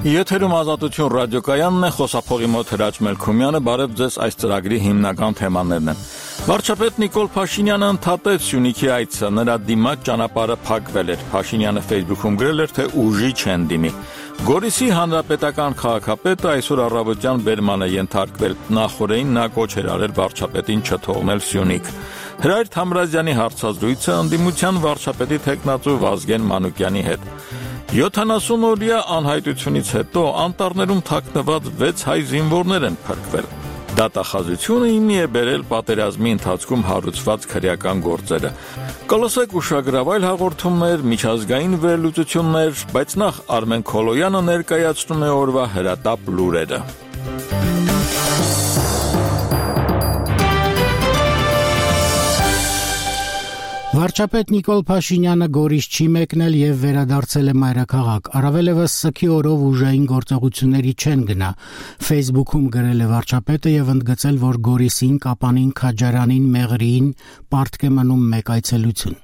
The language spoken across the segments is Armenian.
Եթերում ազատություն ռադիոկայանն է, խոսափողի մոտ Հրաչ Մելքումյանը, բարև ձեզ այս ծրագրի հիմնական թեմաներն են։ Վարչապետ Նիկոլ Փաշինյանը ընդհատեց Սյունիքի այցը, նրա դիմաց ճանապարհը փակվել էր։ Փաշինյանը Facebook-ում գրել էր, թե ուժի չեն դիմի։ Գորիսի հանրապետական քաղաքապետը այսօր առավոտյան բերման է ենթարկվել։ Նախորդին նա կոչ էր արել վարչապետին չթողնել Սյունիք։ Հրայր Թամրազյանի հարցազրույցը ընդդիմության վարչապետի թեկնածու Վազգեն Մանուկյանի հետ։ 70-օրյա անհայտությունից հետո անտառներում թաքնված 6 հայ զինվորներ են փրկվել։ Դատախազությունը հիմնի է բերել պատերազմի ընթացքում հարուցված քրեական գործերը։ Կլսեք ուշագրավայր հաղորդումներ, միջազգային վերլուծություններ, բայց նախ Արմեն Քոլոյանը ներկայացնում է օրվա հրատապ լուրերը։ Վարչապետ Նիկոլ Փաշինյանը Գորիս չի մեկնել եւ վերադարձել է մայրաքաղաք։ Առավելևս սքի օրով ուժային գործողությունների չեն գնա։ Facebook-ում գրել է վարչապետը եւ ընդգծել, որ Գորիսին, Կապանին, Քաջարանին, Մեղրիին պարտք է մնում մեկ այցելություն։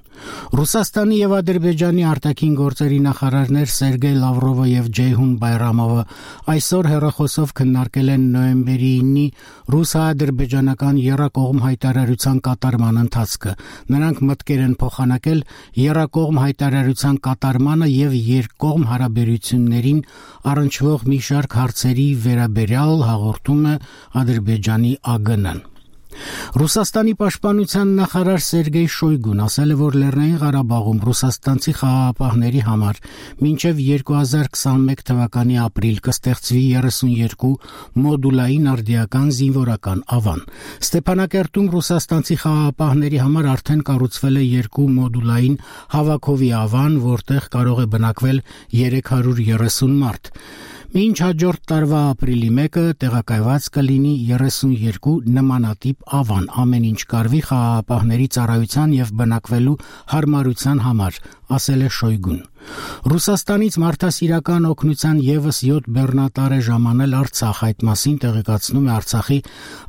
Ռուսաստանի եւ Ադրբեջանի արտաքին գործերի նախարարներ Սերգեյ Լավրովը եւ Ջեյհուն Բայրամովը այսօր հեռախոսով քննարկել են նոյեմբերի 9-ի ռուս-ադրբեջանական եռակողմ հայտարարության կատարման ընթացքը։ Նրանք մտքեր են փոխանակել եռակողմ հայտարարության կատարմանը եւ երկկողմ հարաբերություններին առնչվող մի շարք հարցերի վերաբերյալ, հաղորդում է Ադրբեջանի ԱԳՆ-ն։ Ռուսաստանի պաշտպանության նախարար Սերգեյ Շոյգուն ասել է, որ Լեռնային Ղարաբաղում ռուսաստանցի խաղաղապահների համար մինչև 2021 թվականի ապրիլ կստեղծվի 32 մոդուլային արդիական զինվորական ավան։ Ստեփանակերտում ռուսաստանցի խաղաղապահների համար արդեն կառուցվել է 2 մոդուլային հավաքովի ավան, որտեղ կարող է բնակվել 330 մարդ։ Մինչ հաջորդ տարվա ապրիլի 1-ը տեղակայված կլինի 32 նմանատիպ ավան, ամեն ինչ կարվի խաղաղապահների ծառայության եւ բնակվելու հարմարության համար, ասել է Շոյգուն։ Ռուսաստանից մարդասիրական օգնության եւս 7 բեռնատար է ժամանել Արցախ, այդ մասին տեղեկացնում է Արցախի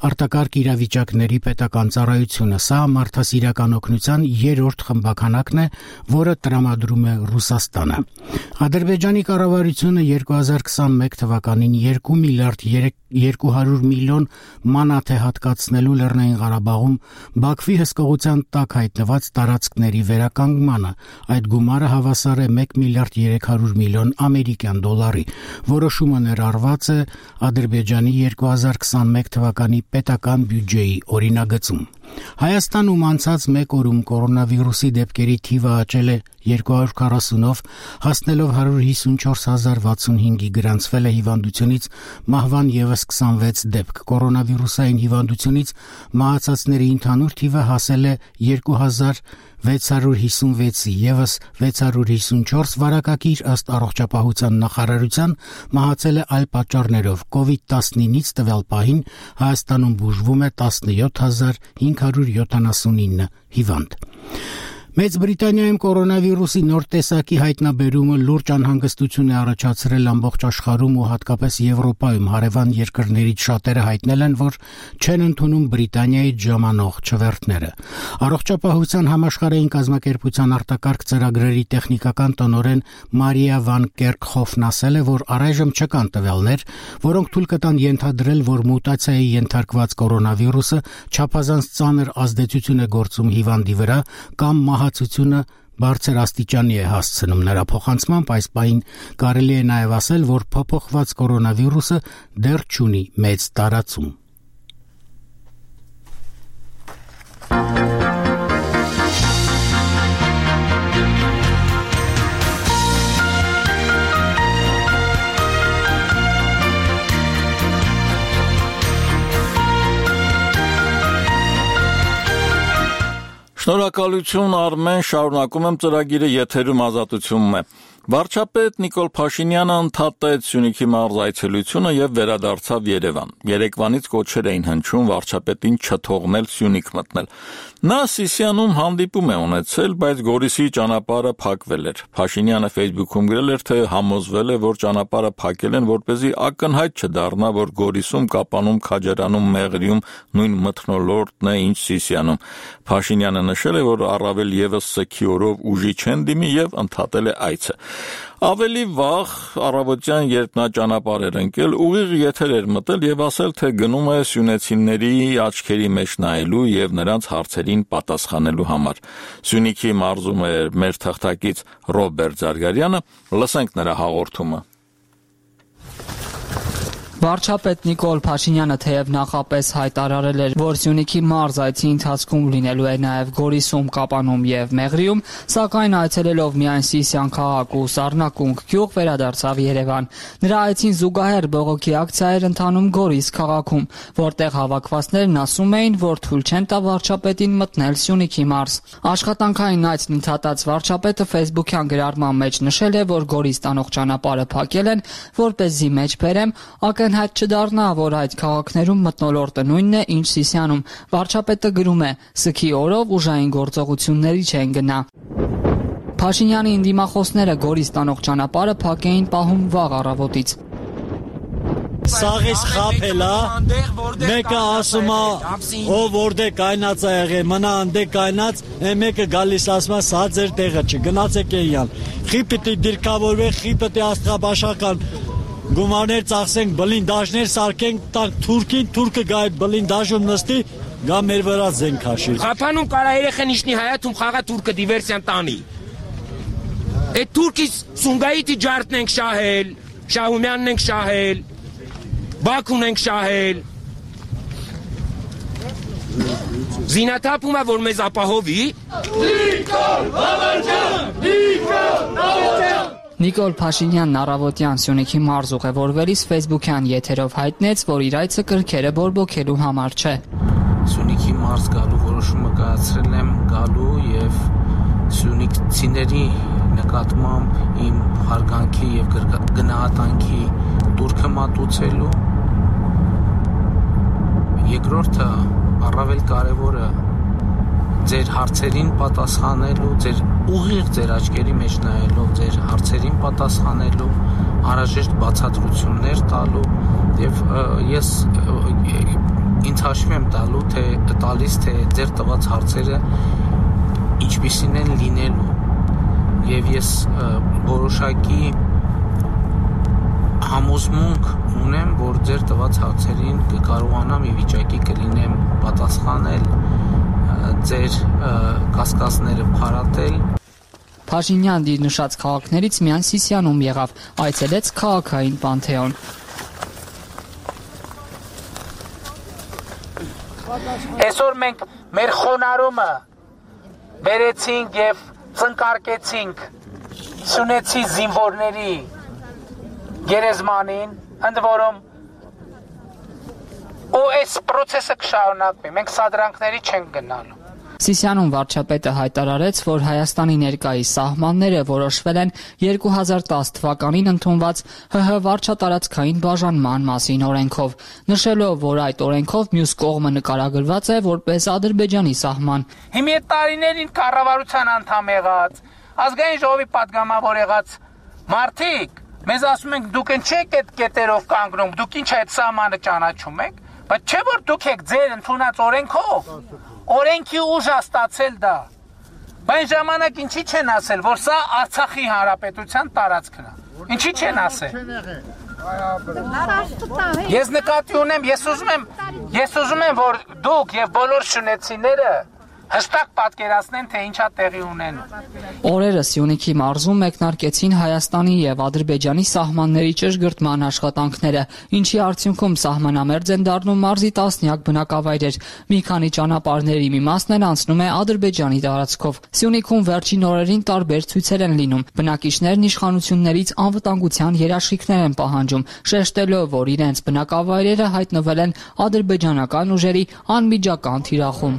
արտակարգ իրավիճակների պետական ծառայությունը։ Սա մարդասիրական օգնության 3-րդ խմբականակն է, որը տրամադրում է Ռուսաստանը։ Ադրբեջանի կառավարությունը 2021 թվականին 2 միլիարդ 200 միլիոն մանաթ է հատկացնելու Լեռնային Ղարաբաղում Բաքվի հսկողության տակ հայտնված տարածքների վերականգմանը։ Այդ գումարը հավասար է 1 միլիարդ 300 միլիոն ամերիկյան դոլարի։ Որոշումը ներառված է Ադրբեջանի 2021 թվականի պետական բյուջեի օրինագծում։ Հայաստանում անցած 1 օրում կորոնավիրուսի դեպքերի թիվը աճել է 240-ով, հասնելով 154065-ի, գրանցվել է հիվանդությունից մահվան եւս 26 դեպք։ Կորոնավիրուսային հիվանդությունից մահացածների ընդհանուր թիվը հասել է 2656-ի, եւս 654 վարակակիր ըստ առողջապահության նախարարության մահացել է այլ պատճառներով։ COVID-19-ից տվյալ պահին Հայաստանում բուժվում է 17579 հիվանդ։ Մեծ Բրիտանիայում կորոնավիրուսի նոր տեսակի հայտնաբերումը լուրջ անհանգստություն է առաջացրել ամբողջ աշխարհում ու հատկապես Եվրոպայում։ Հարևան երկրներից շատերը հայտնել են, որ չեն ընդունում Բրիտանիայից ժամանող չվերթները։ Առողջապահության համաշխարհային կազմակերպության արտակարգ ծրագրերի տեխնիկական տնօրեն Մարիա վան Կերքհոֆն ասել է, որ առայժմ չկան տվյալներ, որոնք թույլ կտան ենթադրել, որ մուտացիայի ենթարկված կորոնավիրուսը չափազանց ծանր ազդեցություն է գործում հիվանդի վրա կամ մահացությունը բարձր աստիճանի է հասցնում։ Նրա փոխանցմամբ այս պահին կարելի է նաև ասել, որ փոփոխված կորոնավիրուսը դեռ չունի մեծ տարածում։ Շնորհակալություն Արմեն, շարունակում եմ ծրագիրը, եթերում ազատությունն է։ Վարչապետ Նիկոլ Փաշինյանը ընդհատեց Սյունիքի մարզ այցելությունը եւ վերադարձավ Երևան։ Երեկվանից կոչեր էին հնչում վարչապետին չթողնել Սյունիք մտնել։ Նա Սիսիանում հանդիպում է ունեցել, բայց Գորիսի ճանապարհը փակվել էր։ Փաշինյանը Facebook-ում գրել էր, թե համոզվել է, որ ճանապարհը փակել են, որպեսզի ակնհայտ չդառնա, որ Գորիսում, Կապանում, Քաջարանում, Մեղրիում նույն մթնոլորտն է, ինչ Սիսիանում։ Փաշինյանը նշել է, որ առավել եւս սքի օրով ուժի չեն դիմի եւ ընդհատել է այցը։ Ավելի վաղ առավոտյան, երբ նա ճանապարհ էր ընկել, ուղիղ եթեր էր մտել եւ ասել, թե գնում է սյունեցիների աչքերի մեջ նայելու եւ նրանց հարցերին պատասխանելու համար։ Սյունիքի մարզում էր մեր թղթակից Ռոբերտ Զարգարյանը, լսենք նրա հաղորդումը։ Վարչապետ Նիկոլ Փաշինյանը թեև նախապես հայտարարել էր, որ Սյունիքի մարզ այցի ընթացքում լինելու է նաև Գորիսում, Կապանում եւ Մեղրիում, սակայն այցելելով միայն Սիսիան քաղաք ու Սառնակունք գյուղ վերադարձավ Երևան։ Նրա այցին զուգահեռ բողոքի ակցիա էր ընթանում Գորիս քաղաքում, որտեղ հավաքվածներն ասում էին, որ թույլ չեն տա վարչապետին մտնել Սյունիքի մարզ։ Աշխատանքային այցն ընդհատած վարչապետը Facebook-յան գրառման մեջ նշել է, որ Գորիս տանող ճանապարհը փակել են, որպեսզի մեջ բերեմ Ակնհայտ չդառնա, որ այդ քաղաքներում մթնոլորտը նույնն է, ինչ Սիսիանում։ Վարչապետը գրում է. «Սքի օրով ուժային գործողությունների չեն գնա»։ Փաշինյանի ընդդիմախոսները Գորիս տանող ճանապարհը փակ էին պահում վաղ առավոտից։ Սաղից խափել է, մեկը ասում է, ով որտե կայնած է եղել, մնա անդե կայնած, մեկը գալիս ասում է, սա ձեր տեղը չի, գնացեք էյան։ Խի պիտի դիրքավորվեք, խի պիտի աստղաբաշխական գումարներ ծախսենք, բլինդաժներ սարքենք, տանք թուրքին, թուրքը գա այդ բլինդաժում նստի, գա մեր վրա զենք հաշի։ Խափանում կարա երեխեն իշնի հայաթում խաղա թուրքը դիվերսիան տանի։ Այդ թուրքից Սունգայիթի ջարդն ենք շահել, Շահումյանն ենք շահել, Բաքուն ենք շահել։ Զինաթափում է, որ մեզ ապահովի։ Նիկոլ Փաշինյան, Նիկոլ Փաշինյան։ Նիկոլ Փաշինյանն առավոտյան Սյունիքի մարզ ուղևորվելիս Facebook-յան եթերով հայտնեց, որ իր այցը կրքերը բորբոքելու համար չէ։ Սյունիքի մարզ գալու որոշումը կայացրել եմ գալու եւ սյունիքցիների նկատմամբ իմ հարգանքի եւ գնահատանքի տուրքը մատուցելու։ Երկրորդը առավել կարևորը ձեր հարցերին պատասխանելու, ուղիղ ձեր աչքերի մեջ նայելով, ձեր հարցերին պատասխանելու, անհրաժեշտ բացատրություններ տալու եւ ես ինձ հաշվի եմ տալիս, թե ձեր տված հարցերը ինչպիսին են լինելու եւ ես որոշակի համոզմունք ունեմ, որ ձեր տված հարցերին կկարողանամ ի վիճակի կլինեմ պատասխանել, ձեր կասկածները փարատել։ Փաշինյանն իր նշած քաղաքներից միայն Սիսիանում եղավ, այցելեց քաղաքային Պանթեոն։ Այսօր մենք մեր խոնարհումը բերեցինք եւ ծնկարկեցինք Սյունեցի զինվորների գերեզմանին, ընդ որում ու այս process-ը կշարունակվի, մենք սադրանքների չենք գնալու։ Սիսիանում վարչապետը հայտարարեց, որ Հայաստանի ներկայիս սահմանները որոշվել են 2010 թվականին ընդունված ՀՀ վարչատարածքային բաժանման մասին օրենքով, նշելով, որ այդ օրենքով մյուս կողմը նկարագրված է որպես Ադրբեջանի սահման։ Հիմա այդ տարիներին կառավարության անդամ եղած, ազգային ժողովի պատգամավոր եղած մարդիկ մեզ ասում են դուք չեք այդ կետերով կանգնում, դուք ինչ այդ սահմանը ճանաչում եք, բայց չէ որ դուք եք ձեր ընդունած օրենքով օրենքի ուժ ստացել դա։ Բայց ժամանակ ինչի չեն ասել, որ սա Արցախի հանրապետության տարածքն է։ Ինչի չեն ասել։ Ես նկատի ունեմ, ես ուզում եմ, որ դուք եւ բոլոր շունեցիները հստակ պատկերացնեն, թե ինչա տեղի ունենում։ Օրերը Սյունիքի մարզում մեկնարկեցին Հայաստանի եւ Ադրբեջանի սահմանների ճշգրտման աշխատանքները, ինչի արդյունքում սահմանամերձ են դառնում մարզի տասնյակ բնակավայրեր։ Մի քանի ճանապարհների մի մասն են անցնում է Ադրբեջանի տարածքով։ Սյունիքում վերջին օրերին տարբեր ցույցեր են լինում։ Բնակիչներն իշխանություններից անվտանգության երաշխիքներ են պահանջում, շեշտելով, որ իրենց բնակավայրերը հայտնվել են ադրբեջանական ուժերի անմիջական թիրախում։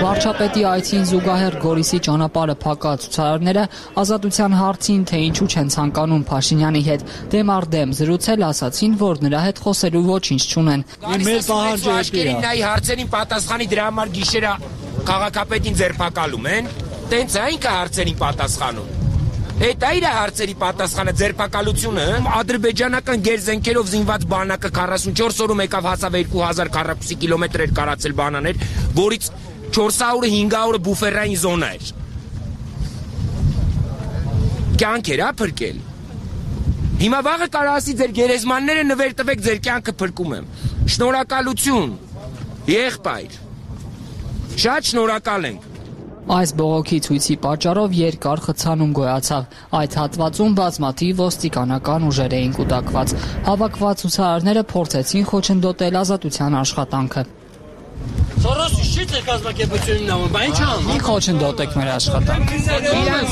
Վարչապետի այցին զուգահեռ Գորիսի ճանապարհը փակած ցուցարարները ազատության հարցին, թե ինչու չեն ցանկանում Փաշինյանի հետ դեմ առ դեմ զրուցել, ասացին, որ նրա հետ խոսելու ոչինչ չունեն։ Մեր պահանջը է։ Նայ հարցերին պատասխանի դրա համար գիշերը քաղաքապետին ձերբակալում են, տենց է ինքը հարցերին պատասխանում։ Այդ այր է հարցերի պատասխանը ձերբակալությունը, ադրբեջանական գերզենքերով զինված բանակը 44 օրում եկավ հասավ 2000 քառակուսի կիլոմետր էր կարացել բանաներ, որից 400-ը 500-ը բուֆերային զոնա էր։ կյանքեր է փրկել։ Հիմա վաղը կարող ասի ձեր գերեզմանները նվեր տվեք, ձեր կյանքը փրկում եմ։ Շնորհակալություն, եղբայր։ Շատ շնորհակալ ենք։ Այս բողոքի ցույցի պատճառով երկար խցանում գոյացավ։ Այդ հատվածում բազմաթիվ ոստիկանական ուժեր էին կուտակված։ Հավաքված ցուցարարները փորձեցին խոչընդոտել ազատության աշխատանքը։ Սորոսի շիտ է կազմակերպությունն նամը, բա ինչ անում։ Մի խոչընդոտեք մեր աշխատանքը։ Իրանց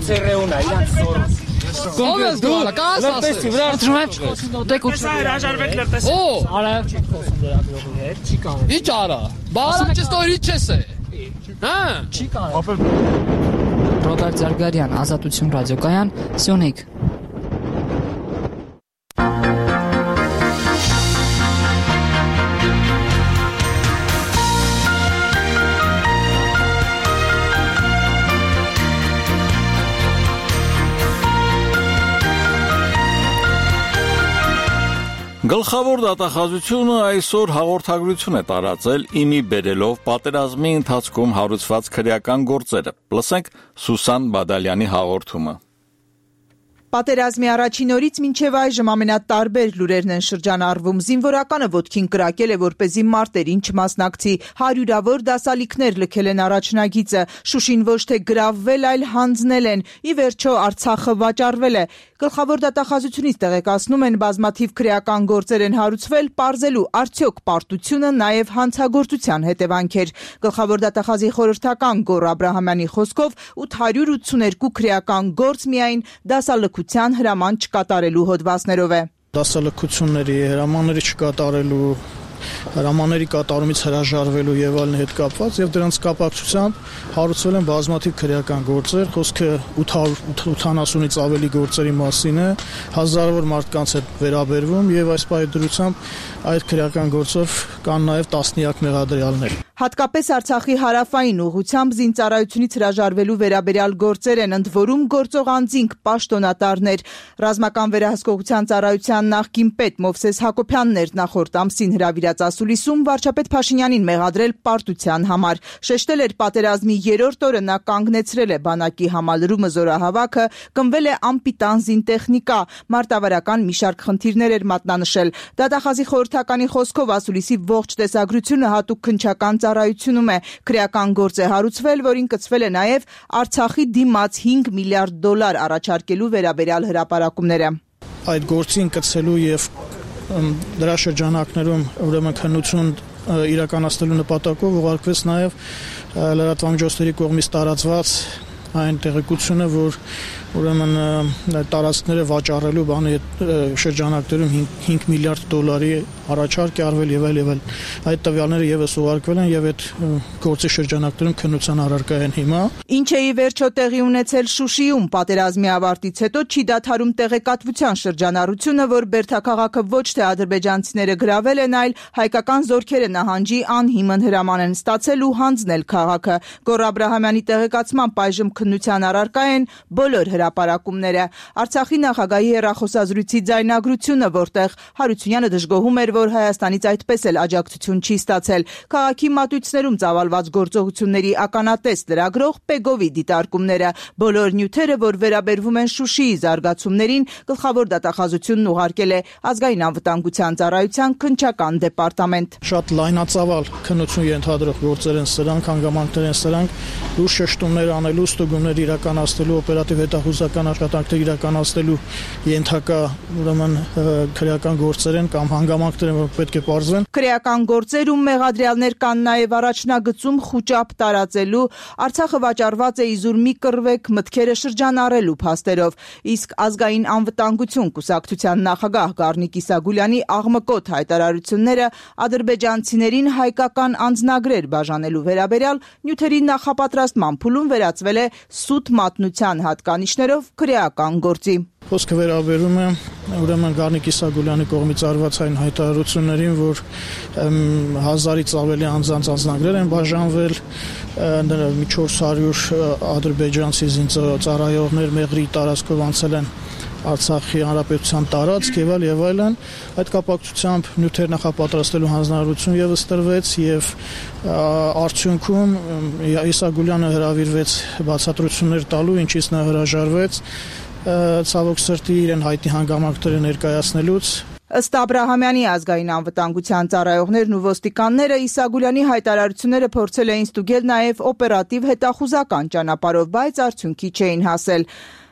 ծերեունա, իրանց Սորոս։ Ո՞վ է դու, կասաս։ Դրում խոչընդոտեք ու հրաժարվեք լրտես։ Օ, արավ չի խոսում լրագրողի հետ, չի կարող։ Ինչ արա։ Բալա չստորի չես է։ Հա, չի կարող։ Ռոբերտ Զարգարյան, Ազատություն ռադիոկայան, Սյունիք։ Գլխավոր դատախազությունը այսօր հաղորդագրություն է տարածել իմի բերելով պատերազմի ընթացքում հարուցված քրեական գործերը։ Լսենք Սուսան Բադալյանի հաղորդումը։ Պատերազմի առաջին օրից մինչև այժմ ամենատարբեր լուրերն են շրջանառվում։ Զինվորականը ոտքին կրակել է, որպեսզի մարտերին չմասնակցի։ Հարյուրավոր դասալիքներ լքել են առաջնագիծը։ Շուշին ոչ թե գրավվել, այլ հանձնել են։ Ի վերջո Արցախը վաճառվել է։ Գլխավոր դատախազությունից տեղեկացնում են, բազմաթիվ քրեական գործեր են հարուցվել, պարզելու արդյոք պարտությունը նաև հանցագործության հետևանքեր։ Գլխավոր դատախազի խորհրդական Գոռ Աբրահամյանի խոսքով 882 քրեական գործ միայն դասալքության հրաման չկատարելու հոդվածներով է։ Դասալքությունների հրամանների չկատարելու, հրամանների կատարումից հրաժարվելու եւ այլն հետ կապված եւ դրանց կապակցությամբ հարուցվել են բազմաթիվ քրեական գործեր, խոսքը 880-ից ավելի գործերի մասին է, հազարավոր մարդկանց հետ վերաբերվում եւ այս պայդրությամբ այդ քրեական գործով կան նաեւ տասնյակ մեղադրյալներ։ Հատկապես Արցախի հարավային ուղղությամբ զինծառայությունից հրաժարվելու վերաբերյալ գործեր են, ընդ որում գործող անձինք պաշտոնատարներ։ Ռազմական վերահսկողության ծառայության նախկին պետ Մովսես Հակոբյանն էր նախորդ ամսին հրավիրած ասուլիսում վարչապետ Փաշինյանին մեղադրել պարտության համար։ Շեշտել էր պատերազմի 3-րդ օրը նա կանգնեցրել է բանակի համալրումը զորահավաքը, կնվել է անպիտան զինտեխնիկա, մարտավարական մի շարք խնդիրներ էր մատնանշել։ Դատախազի խորհրդականի խոսքով ասուլիսի ողջ տեսագրությունը հատուկ քննչական ծառայությունում է, քրեական գործ է հարուցվել, որին կցվել է նաև Արցախի դիմաց $5 միլիարդ առաջարկելու վերաբերյալ հրապարակումները։ Այդ գործին կցելու եւ դրա շրջանակներում ուրեմն քննություն իրականացնելու նպատակով ուղարկվեց նաև լրատվամիջոցների կողմից տարածված այն տեղեկությունը, որ ուրեմն տարածքները վաճառելու բանը շրջանակներում $5 միլիարդ առաջարկ է արվել եւ այլ։ Այդ տվյալները եւս ուղարկվել են եւ այդ գործի շրջանակներում քննության առարկա են հիմա։ Ինչ է ի վերջո տեղի ունեցել Շուշիում պատերազմի ավարտից հետո չի դադարում տեղեկատվության շրջանառությունը, որ Բերդաքաղաքը ոչ թե ադրբեջանցիները գրավել են, այլ հայկական զորքերը նահանջի անհիմն հրաման են ստացել ու հանձնել քաղաքը։ Գոռ Աբրահամյանի տեղեկացմամբ այժմ քննության առարկա են բոլոր հրապարակումները։ Արցախի նախագահի հեռախոսազրույցի ձայնագրությունը, որտեղ Հարությունյանը դժգոհում էր, որ Հայաստանից այդպես էլ աջակցություն չի ստացել։ Քաղաքի մատույցներում ծավալված գործողությունների ականատես լրագրող Պեգովի դիտարկումները, բոլոր նյութերը, որ վերաբերվում են Շուշիի զարգացումներին, գլխավոր դատախազությունն ուղարկել է Ազգային անվտանգության ծառայության քննչական դեպարտամենտ։ Շատ լայնածավալ քննություն ենթադրող գործեր են սրանք, հանգամանքներ են սրանք, լուրջ շեշտումներ անելու, ստուգումներ իրականացնելու, օպերատիվ հետախուզական աշխատանքներ իրականացնելու ենթակա ուրեմն քրեական գործեր են կամ հանգամանքներ են, որ պետք է պարզվեն։ Քրեական գործերում մեղադրյալներ կան նաև առաջնագծում խուճապ տարածելու, Արցախը վաճառված է իզուր մի կռվեք մտքերը շրջանառելու փաստերով, իսկ ազգային անվտանգություն կուսակցության նախագահ Գառնիկ Իսագուլյանի աղմկոտ հայտարարությունները ադրբեջանցիներին հայկական անձնագրեր բաժանելու վերաբերյալ նյութերի նախապատրաստման փուլում վերածվել է սուտ մատնության հատկանիշներով քրեական գործի։ Խոսքը վերաբերում է ուրեմն Գառնիկ Իսագուլյանի կողմից արված այն հայտարարություններին, որ 1000-ից ավելի անձանց անձնագրեր են բաժանվել, մի 400 ադրբեջանցի զինծառայողներ մեղրի տարածքով անցել են Արցախի հանրապետության տարածք եւ այլն, այդ կապակցությամբ նյութեր նախապատրաստելու հանձնարարություն եւս տրվեց եւ արդյունքում Իսա Գուլյանը հրավիրվեց բացատրություններ տալու, ինչից նա հրաժարվեց ցավոք սրտի իրեն հայտնի հանգամանքները ներկայացնելուց։ Ըստ Աբրահամյանի ազգային անվտանգության ծառայողներն ու ոստիկանները Իսա Գուլյանի հայտարարությունները փորձել էին ստուգել նաև օպերատիվ հետախուզական ճանապարհով, բայց արդյունքի չէին հասել։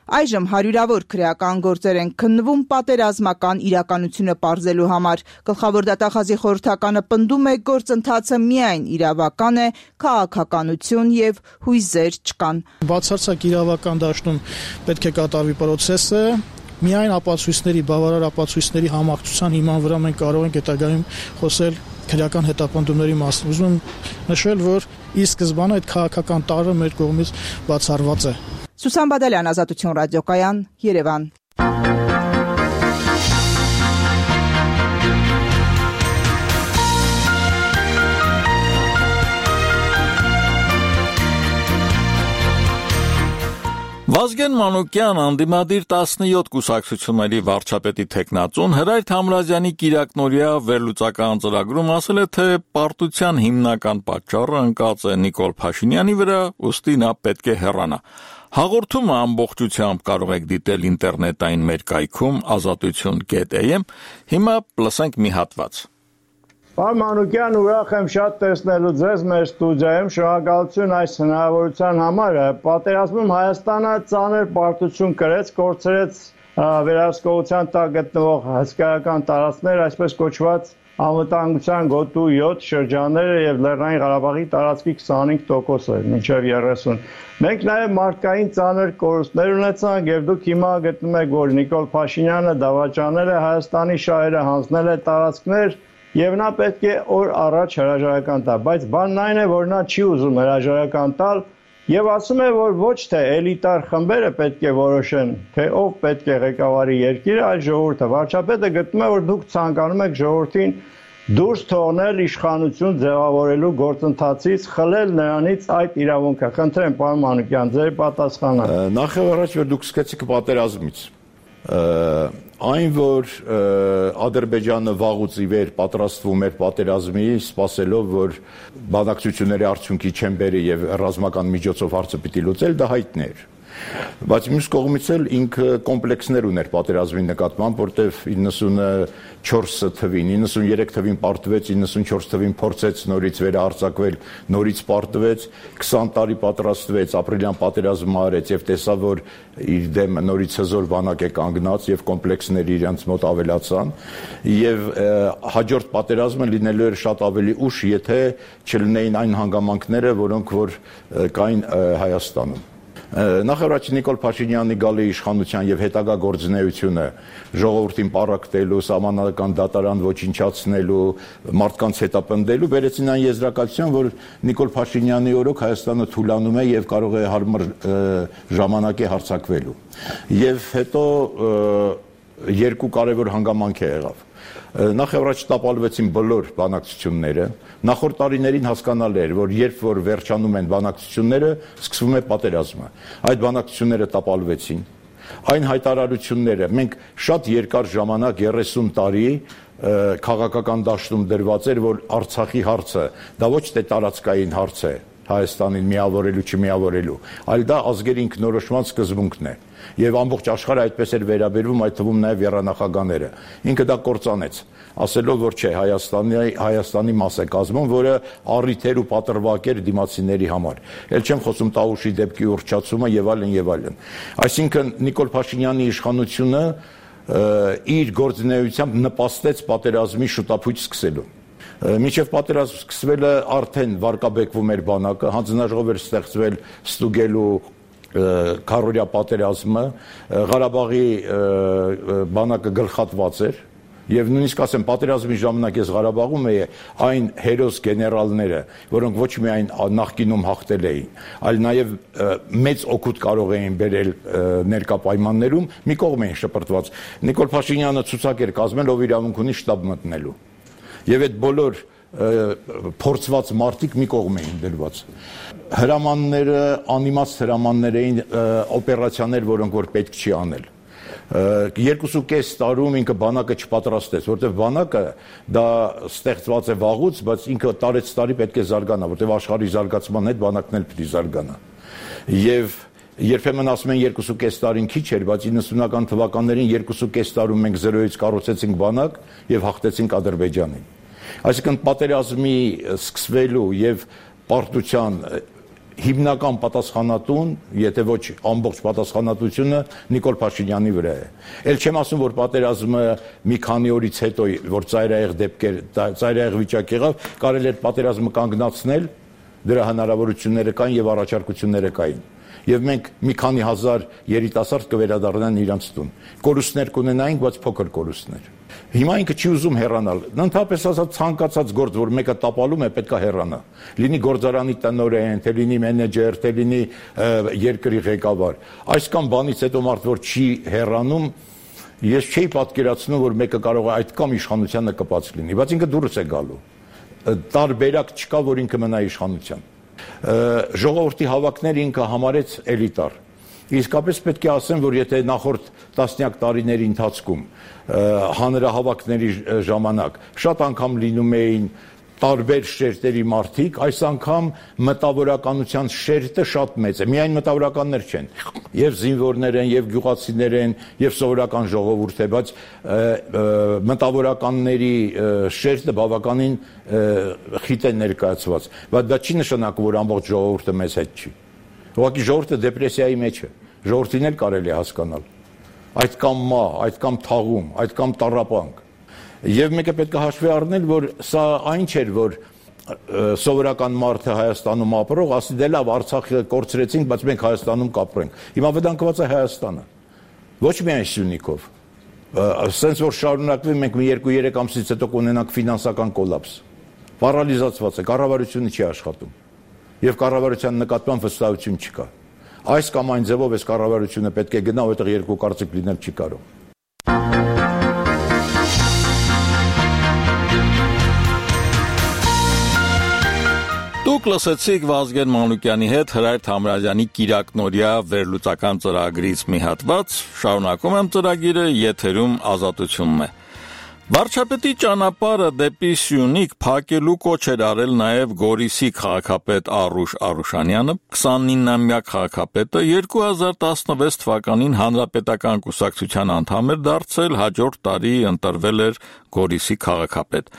Այժմ հարյուրավոր քրեական գործեր են քննվում պատերազմական իրականությունը պարզելու համար։ Գլխավոր դատախազի խորհրդականը պնդում է գործընթացը միայն իրավական է, քաղաքականություն եւ հույզեր չկան։ Բացարձակ իրավական դաշտում պետք է կատարվի process-ը, միայն ապացույցների, բավարար ապացույցների համակցության հիման վրա մենք կարող ենք հետագայում խոսել քրեական հետապնդումների մասին։ Ուզում եմ նշել, որ ի սկզբանե այդ քաղաքական տարրը մեր կողմից բացառված է։ Սուսան Բադալյան, Ազատություն ռադիոկայան, Երևան։ Վազգեն Մանուկյան, անդիմադիր 17 կուսակցությունների վարչապետի թեկնածուն Հրայր Թամրազյանի կիրակնօրյա վերլուծական ծրագրում ասել է, թե պարտության հիմնական պատճառը ընկած է Նիկոլ Փաշինյանի վրա, ուստի նա պետք է հեռանա։ Հաղորդումը ամբողջությամբ կարող եք դիտել ինտերնետային մեր կայքում azatutyon.am, հիմա լսենք մի հատված։ Պարոն Մանուկյան, ուրախ եմ շատ տեսնելու ձեզ մեր ստուդիայում, շնորհակալություն այս հնարավորության համար։ Պատերազմում Հայաստանը ծանր պարտություն կրեց, կորցրեց վերահսկողության տակ գտնվող հսկայական տարածքներ, այսպես կոչված անվտանգության գոտու 7 շրջանները եւ Լեռնային Ղարաբաղի տարածքի 25%-ը, մինչեւ 30%։ Մենք նաեւ մարդկային ծանր կորուստներ ունեցանք եւ դուք հիմա գտնում եք, որ Նիկոլ Փաշինյանը դավաճանել է Հայաստանի շահերը, հանձնել է տարածքներ եւ նա պետք է օր առաջ հրաժարական տա, բայց բանն այն է, որ նա չի ուզում հրաժարական տալ եւ ասում է, որ ոչ թե էլիտար խմբերը պետք է որոշեն, թե ով պետք է ղեկավարի երկիրը, այլ ժողովուրդը։ Վարչապետը գտնում է, որ դուք ցանկանում եք ժողովրդին դուրս թողնել իշխանություն ձևավորելու գործընթացից, խլել նրանից այդ իրավունքը։ Խնդրեմ, պարոն Մանուկյան, ձեր պատասխանը։ Նախ եւ առաջ որ դուք սկսեցիք պատերազմից, այն որ Ադրբեջանը վաղուց ի վեր պատրաստվում էր պատերազմի, սպասելով որ բանակցությունների արդյունքի չեն բերի եւ ռազմական միջոցով հարցը պիտի լուծել, դա հայտնի էր։ Բայց մյուս կողմից էլ ինքը կոմպլեքսներ ուներ պատերազմի նկատմամբ, որտեվ 94 թվին, 93 թվին պարտվեց, 94 թվին փորձեց նորից վերահարձակվել, նորից պարտվեց, 20 տարի պատրաստվեց, ապրիլյան պատերազմը արեց եւ տեսավ, որ իր դեմ նորից հզոր բանակ է կանգնած եւ կոմպլեքսները իրենց մոտ ավելացան եւ հաջորդ պատերազմը լինելու էր շատ ավելի ուշ, եթե չլինեին այն հանգամանքները, որոնք որ կային Հայաստանում։ Նախ առաջ Նիկոլ Փաշինյանի գալի իշխանության եւ հետագա գործունեությունը ժողովրդին պառակտելու, սահմանադրական դատարան ոչնչացնելու, մարդկանց հետապնդելու բերեցին այն եզրակացության, որ Նիկոլ Փաշինյանի օրոք Հայաստանը թուլանում է եւ կարող է հարմար ժամանակ է հարձակվելու։ Եվ հետո երկու կարևոր հանգամանք է եղավ։ Նախ առաջ տապալվեցին բոլոր բանակցությունները, նախորդ տարիներին հասկանալ էր, որ երբ որ վերջանում են բանակցությունները, սկսվում է պատերազմը։ Այդ բանակցությունները տապալվեցին։ Այն հայտարարությունները, մենք շատ երկար ժամանակ 30 տարի քաղաքական դաշտում դրված էր, որ Արցախի հարցը դա ոչ թե տարածքային հարց է, Հայաստանին միավորելու, չմիավորելու, այլ դա ազգերի ինքնորոշման սկզբունքն է։ Եվ ամբողջ աշխարհը այդպես էր վերաբերվում, այդ թվում նաև եռանախագաները։ Ինքը դա կործանեց, ասելով, որ չէ, Հայաստանի մաս է կազմում, որը առիթ էր ու պատրվակ էր դիմացիների համար։ Էլ չեմ խոսում Տավուշի դեպքի ուռճացումը եւ այլն եւ այլն։ Այսինքն Նիկոլ Փաշինյանի իշխանությունը իր գործունեությամբ նպաստեց պատերազմի շուտափույթ սկսելու։ Մինչև պատերազմ սկսվելը արդեն վարկաբեկվում էր բանակը, հանձնաժողով էր ստեղծվել ստուգելու քարորյա պատերազմը, Ղարաբաղի բանակը գլխատված էր եւ նույնիսկ ասեմ պատերազմի ժամանակ ես Ղարաբաղում էի այն հերոս գեներալները, որոնք ոչ միայն նախկինում հաղթել էին, այլ նաեւ մեծ օգուտ կարող էին բերել ներկա պայմաններում, մի կողմ էին շպրտված։ Նիկոլ Փաշինյանը ցուցակ էր կազմել, ով իրավունք ունի շտաբ մտնելու։ Եվ այդ բոլոր փորձված մարդիկ մի կողմ էին դրված։ Հրամանները, անիմաց հրամաններ էին, օպերացիաներ, որոնք որ պետք չի անել։ 2.5 տարում ինքը բանակը չպատրաստեց, որտեղ բանակը դա ստեղծված է վաղուց, բայց ինքը տարեց տարի պետք է զարգանա, որտեղ աշխարհի զարգացման հետ բանակն էլ պետք է զարգանա։ Եվ երբեմն ասում են 2.5 տարին քիչ էր, բայց 90-ական թվականներին 2.5 տարում մենք 0-ից կառուցեցինք բանակ եւ հաղթեցինք Ադրբեջանին։ Այսինքն պատերազմի սկսվելու եւ պարտության հիմնական պատասխանատուն, եթե ոչ ամբողջ պատասխանատվությունը Նիկոլ Փաշինյանի վրա է։ Էլ չեմ ասում, որ պատերազմը մի քանի օրից հետո, որ ծայրահեղ վիճակ եղավ, կարելի էր պատերազմը կանգնացնել, դրա հնարավորությունները կային եւ առաջարկությունները կային։ Եվ մենք մի քանի հազար երիտասարդ կվերադառնան իրանց տուն։ Կորուստներ կունենայինք, բայց փոքր կորուստներ։ Հիմա ինքը չի ուզում հեռանալ։ Ընդհանրապես ասած ցանկացած գործ, որ մեկը տապալում է, պետք է հեռանա։ Լինի գործարանի տնօրեն, թե լինի մենեջեր, թե լինի երկրի ղեկավար։ Այս կամ բանից հետո մարդ որ չի հեռանում, ես չէի պատկերացնում, որ մեկը կարող է այդ կամ իշխանությանը կպած լինի, բայց ինքը դուրս է գալու։ Տարբերակ չկա, որ ինքը մնա իշխանության։ Ժողովրդի հավաքները ինքը համարեց էլիտար։ Իսկապես պետք է ասեմ, որ եթե նախորդ տասնյակ տարիների ընթացքում հանրահավաքների ժամանակ շատ անգամ լինում էին տարբեր շերտերի մարդիկ, այս անգամ մտավորականության շերտը շատ մեծ է։ Միայն մտավորականներ չեն, եւ զինվորներ են, եւ գյուղացիներ են, եւ սովորական ժողովուրդ է, բայց մտավորականների շերտը բավականին խիտ է ներկայացված։ Բայց դա չի նշանակում, որ ամբողջ ժողովուրդը մեզ հետ չի։ Ուղղակի ժողովուրդը դեպրեսիայի մեջ է։ Ժողովրդին էլ կարելի է հասկանալ։ Այդ կամ մահ, այդ կամ թաղում, այդ կամ տառապանք։ Եվ մեկը պետք է հաշվի առնել, որ սա այն չէր, որ սովորական մարդը Հայաստանում ապրող, ասի դե լավ, Արցախը կորցրեցինք, բայց մենք Հայաստանում կապրենք։ Հիմա վտանգված է Հայաստանը։ Ոչ միայն Սյունիքով։ Սենց որ շարունակվի, մենք մի 2-3 ամսից հետո կունենանք ֆինանսական կոլապս։ Պարալիզացված է, կառավարությունը չի աշխատում։ Եվ կառավարության նկատմամբ վստահություն չկա։ Այս կամ այն ձևով այս կառավարությունը պետք է գնա, որտեղ երկու կարծիք լինել չի կարող։ Դուք լսեցիք Վազգեն Մանուկյանի հետ Հրայր Թամրազյանի կիրակնօրյա վերլուծական ծրագրից մի հատված, շարունակում եմ ծրագիրը, եթերում Ազատությունն է։ Վարչապետի ճանապարհը դեպի Սյունիք փակելու կոչ էր արել նաև Գորիսի քաղաքապետ Արուշ Արուշանյանը, 29-ամյա քաղաքապետը 2016 թվականին հանրապետական կուսակցության անդամ էր դարձել, հաջորդ տարի ընտրվել էր Գորիսի քաղաքապետ։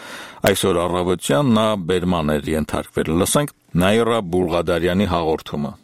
Այսօր առավոտյան նա բերման էր ենթարկվել։ Լսենք Նաիրա Բուլղադարյանի հաղորդումը։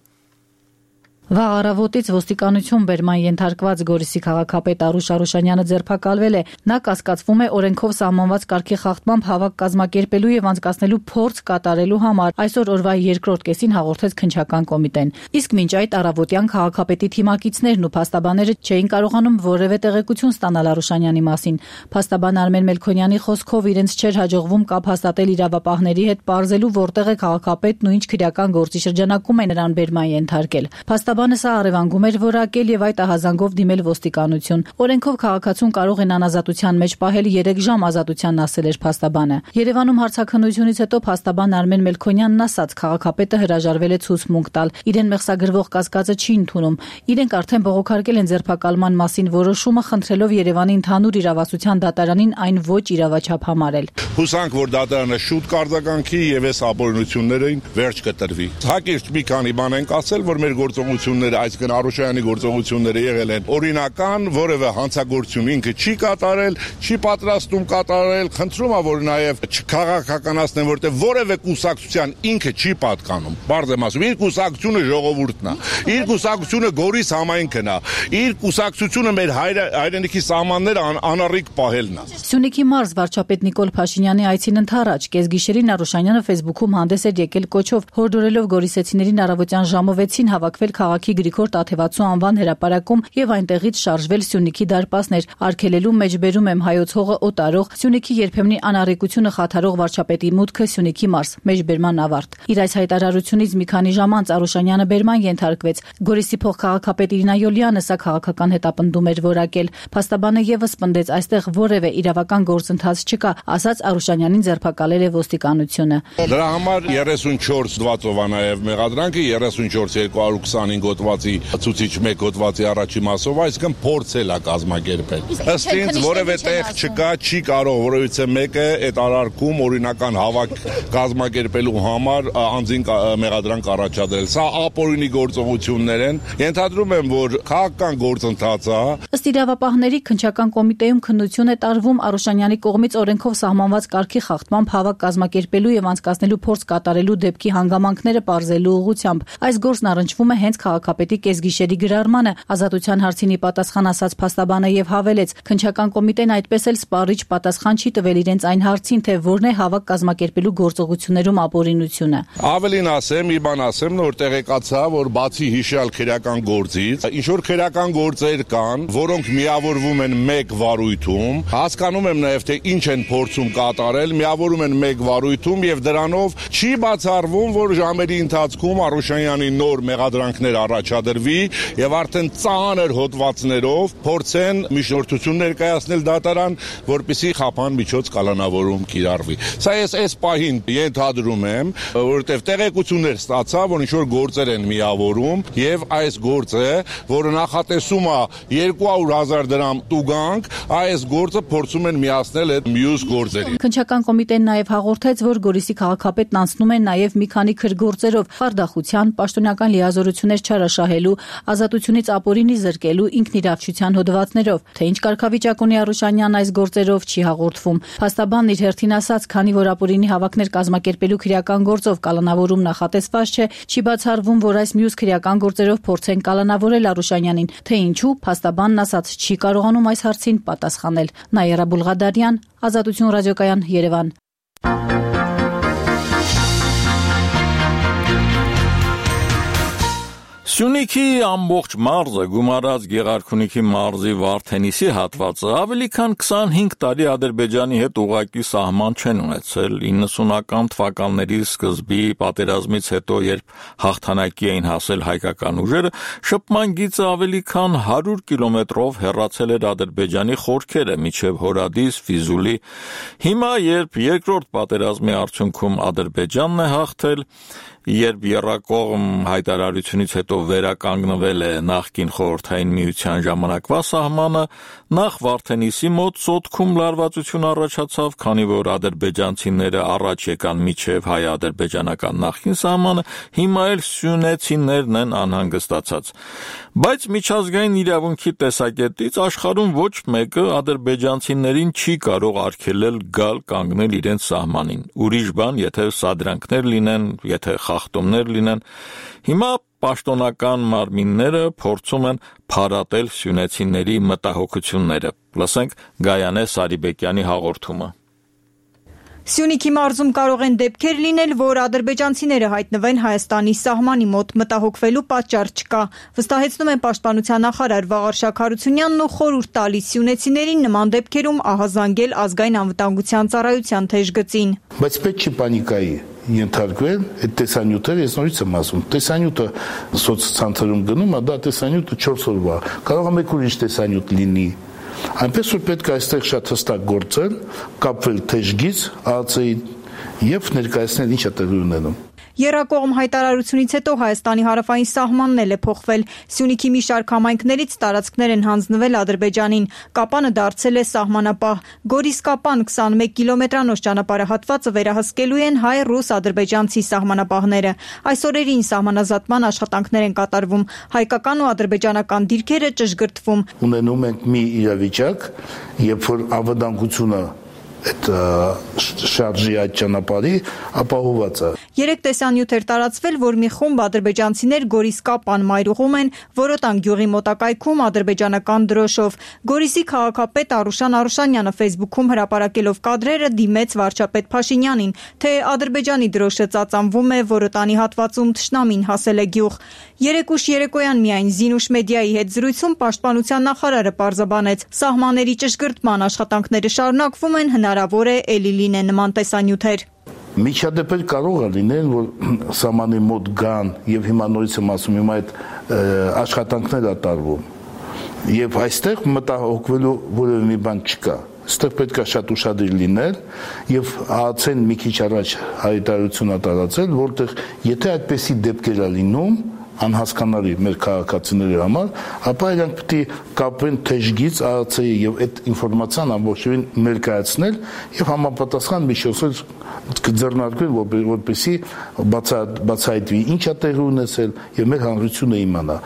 Վաղ առավոտից ոստիկանություն բերման ենթարկված Գորիսի քաղաքապետ Արուշ Արուշանյանը ձերբակալվել է։ Նա կասկածվում է օրենքով սահմանված կարգի խախտմամբ հավաք կազմակերպելու եւ անցկացնելու փորձ կատարելու համար։ Այսօր օրվա երկրորդ կեսին հաղորդեց քննչական կոմիտեն։ Իսկ մինչ այդ առավոտյան քաղաքապետի թիմակիցներն ու փաստաբանները չէին կարողանում որևէ տեղեկություն ստանալ Արուշանյանի մասին։ Փաստաբան Արմեն Մելքոնյանի խոսքով իրենց չէր հաջողվում կապ հաստատել իրավապահների հետ, պարզելու որտեղ է քաղաքապետն ու ինչ քրեական գործի շրջանակում է նրան բերման ենթարկել։ Բանը սա առևանգում էր որակել եւ այդ ահազանգով դիմել ոստիկանություն։ Օրենքով քաղաքացուն կարող են անազատության մեջ պահել 3 ժամ ազատությանն ասել էր փաստաբանը։ Երևանում հարցաքննությունից հետո փաստաբան Արմեն Մելքոնյանն ասաց, քաղաքապետը հրաժարվել է ցուցմունք տալ։ Իրեն մեղսագրվող կասկածը չի ընդունում։ Իրենք արդեն բողոքարկել են ձերբակալման մասին որոշումը, խնդրելով Երևանի ընդհանուր իրավասության դատարանին այն ոչ իրավաչափ համարել։ Հուսանք, որ դատարանը շուտ կարձականքի եւ այս ապօրինություններին վերջ կտրվի։ Հակիրճ մի քանի բան ենք ասել, որ մեր գործողությունները, այսինքն Արուշյանի գործողությունները եղել են օրինական, որևէ հանցագործություն ինքը չի կատարել, չի պատրաստում կատարել, խնդրում եմ, որ նաեւ չքաղաքականացնեն, որտեղ որևէ կուսակցության ինքը չի պատկանում։ Բարձ եմ ասում, իր կուսակցությունը ժողովուրդն է, իր կուսակցությունը Գորիս համայնքն է, իր կուսակցությունը մեր հայրենիքի սահմանները անառիկ պահելն է։ Սյունիքի մարզ վարչապետ Նիկոլ Փաշինյանի այցին ընդառաջ կեսգիշերին Արուշանյանը Facebook-ում հանդես էր եկել կոչով, հորդորելով գորիսեցիներին առավոտյան ժամը 6-ին հավաքվել քաղաքի Գրիգոր Տաթևացու անվան հրապարակում եւ այնտեղից շարժվել Սյունիքի դարպասներ, արգելելու մեջբերում եմ հայոց հողը օտարող Սյունիքի երբեմնի անառիկությունը խաթարող վարչապետի մուտքը Սյունիքի մարզ, մեջբերման ավարտ։ Իր այս հայտարարությունից մի քանի ժամ անց Արուշանյանը բերման ենթարկվեց։ Գորիսի փոխքաղաքապետ Իրինա Յոլյանը սա քաղաքական հետապնդում էր որակել։ Փաստաբանը եւս պնդեց, այստեղ որևէ իրավական գործընթաց չկա, ասաց Արուշանյանին ձերբակալել է ոստիկանությունը։ Դրա համար 34 դվածով է նաեւ մեղադրանքը, 34-225 հոդվածի ցուցիչ 1 հոդվածի առաջի մասով, այսինքն փորձել է կազմակերպել։ Ըստ ինձ որևէ տեղ չկա, չի կարող որևիցե մեկը այդ արարքում օրինական հավաք կազմակերպելու համար անձին մեղադրանք առաջադրել։ Սա ապօրինի գործողություններ են։ Ենթադրում եմ, որ քաղաքական գործընթաց է։ Ըստ իրավապահների քննչական կոմիտեում քննություն է տարվում Արուշանյանի կողմից օրենքով սահմանված կարգի խախտմամբ հավաք կազմակերպելու եւ անցկացնելու փորձ կատարելու դեպքի հանգամանքները պարզելու ուղղությամբ։ Այս գործն առնչվում է հենց քաղաքապետի կեսգիշերի գրառմանը։ Ազատության հարցին ի պատասխան ասաց փաստաբանը եւ հավելեց. քննչական կոմիտեն այդպես էլ սպառիչ պատասխան չի տվել իրենց այն հարցին, թե որն է հավաք կազմակերպելու գործողություններում ապօրինությունը։ Ավելին ասեմ, մի բան ասեմ, որ տեղեկացա, որ բացի հիշյալ քրեական գործից, ինչ որ քրեական գործեր կան, որոնք միավորվում են մեկ վարույթում, հասկանում եմ նաև թե ինչ են փորձում կատարել, միավորում են մեկ վարույթում եւ դրանով չի բացառվում, որ ժամերի ընթացքում Արուշանյանի նոր մեղադրանքներ առաջադրվի եւ արդեն ծանր հոդվածներով փորձեն միջնորդություն ներկայացնել դատարան, որպեսզի խափան միջոց կալանավորում կիրառվի։ Սա ես այս պահին ենթադրում եմ, որովհետեւ տեղեկություններ ստացա, որ ինչ որ գործեր են միավորում եւ այս գործը, որը նախատեսում է 200,000 դրամ տուգանք, այս գործը փորձում են միացնել այդ մյուս գործերին։ Քննչական կոմիտեն նաև հաղորդեց, որ Գորիսի քաղաքապետն անցնում է նաև մի քանի քրգործերով՝ խարդախության, պաշտոնական լիազորություններ չարաշահելու, ազատությունից ապօրինի զրկելու, ինքնիրավչության հոդվածներով։ Թե ինչ կարգավիճակ ունի Արուշանյանն այս գործերով չի հաղորդվում։ Փաստաբանն իր հերթին ասաց, քանի որ ապօրինի հավաքներ կազմակերպելու քրեական գործով կալանավորում նախատեսված չէ, չի բացառվում, որ այս մյուս քրեական գործերով փորձեն կալանավորել Արուշանյանին։ Թե ինչու, փաստաբանն ասաց, չի կարողանում այս հարցին պատասխանել։ Նաիրա Բուլղադարյան, Ազատություն ռադիոկայան, Երևան։ Սյունիքի ամբողջ մարզը գումարած Գեղարքունիքի մարզի Վարդենիսի հատվածը ավելի քան 25 տարի Ադրբեջանի հետ ուղղակի սահման չեն ունեցել 90-ական թվականների սկզբի պատերազմից հետո, երբ հաղթանակի էին հասել հայկական ուժերը, շփման գիծը ավելի քան 100 կիլոմետրով հեռացել էր Ադրբեջանի խորքերը մինչև Հորադիս, Ֆիզուլի։ Հիմա, երբ երկրորդ պատերազմի արդյունքում Ադրբեջանն է հաղթել, երբ եռակողմ հայտարարությունից հետո վերականգնվել է նախկին խորհրդային միության ժամանակվա սահմանը, նախ Վարդենիսի մոտ սոտքում լարվածություն առաջացավ, քանի որ ադրբեջանցիները առաջ եկան միջև հայ-ադրբեջանական նախկին սահմանը, հիմա էլ սյունեցիներն են անհանգստացած։ Բայց միջազգային իրավունքի տեսակետից աշխարհում ոչ մեկը ադրբեջանցիներին չի կարող արգելել գալ կանգնել իրենց սահմանին։ Ուրիշ բան, եթե սադրանքներ լինեն, եթե խախտումներ լինեն։ Հիմա պաշտոնական մարմինները փորձում են փարատել սյունեցիների մտահոգությունները։ Լսենք Գայանե Սարիբեկյանի հաղորդումը։ Սյունիքի մարզում կարող են դեպքեր լինել, որ ադրբեջանցիները հայտնվեն Հայաստանի սահմանի մոտ, մտահոգվելու պատճառ չկա, վստահեցնում են պաշտպանության նախարար Վաղար Շաքարությունյանն ու խորհուրդ տալիս սյունեցիներին նման դեպքերում ահազանգել ազգային անվտանգության ծառայության թեժգծին։ Բայց պետք չի պանիկայի ենթարկվել այդ տեսանյութերը, ես նորից եմ ասում, տեսանյութը սոցցանցերում գնում է, դա տեսանյութը 4 օրվա, կարող է մեկ ուրիշ տեսանյութ լինի։ Այնպես որ պետք է այստեղ շատ հստակ գործել, կապվել թեժգից ԱԱՑ-ի եւ ներկայացնել ինչ է տեղի ունենում։ Եռակողմ հայտարարությունից հետո Հայաստանի հարավային սահմանն էլ է փոխվել։ Սյունիքի մի շարք համայնքներից տարածքներ են հանձնվել Ադրբեջանին։ Կապանը դարձել է սահմանապահ։ Գորիս-Կապան 21 կիլոմետրանոց ճանապարհահատվածը վերահսկելու են հայ-ռուս-ադրբեջանցի սահմանապահները։ Այս օրերին սահմանազատման աշխատանքներ են կատարվում։ Հայկական ու ադրբեջանական դիրքերը ճշգրտվում։ Ունենում ենք մի իրավիճակ, երբ որ անվտանգությունը այդ շարժի այդ ճանապարհի ապահոված է։ 3 տեսանյութ էր տարածվել, որ մի խումբ ադրբեջանցիներ Գորիս-Կապան մայրուղում են Որոտան գյուղի մոտակայքում ադրբեջանական դրոշով։ Գորիսի քաղաքապետ Արուշան Արուշանյանը Facebook-ում հրապարակելով կադրերը դիմեց վարչապետ Փաշինյանին, թե Ադրբեջանի դրոշը ծածանվում է Որոտանի հատվածում թշնամին հասել է գյուղ։ Երեկուշ երեկոյան միայն Զինուշ մեդիայի հետ զրույցում պաշտպանության նախարարը պարզաբանեց, սահմանների ճշգրտման աշխատանքները շարունակվում են, հնարավոր է էլի լինեն նման տեսանյութեր։ Միջադեպեր կարող է լինել, որ սահմանի մոտ գան եւ հիմա նորից եմ ասում, հիմա այդ աշխատանքներ է տարվում։ Եվ այստեղ մտահոգվելու որևէ մի բան չկա։ Այստեղ պետք է շատ ուշադիր լինել եւ ԱԱՑ-ն մի քիչ առաջ հայտարարություն է տարածել, որտեղ եթե այդպեսի դեպքեր է լինում, անհասկանալի մեր քաղաքացիների համար, ապա իրանք պետք է կապվեն թեժգից ԱԱՑ-ի եւ այդ ինֆորմացիան ամբողջովին ներկայացնել եւ համապատասխան միջոցներ կձեռնարկվեն, որպեսզի բացահայտվի ինչա տեղի ունեցել եւ մեր հանրությունը իմանա։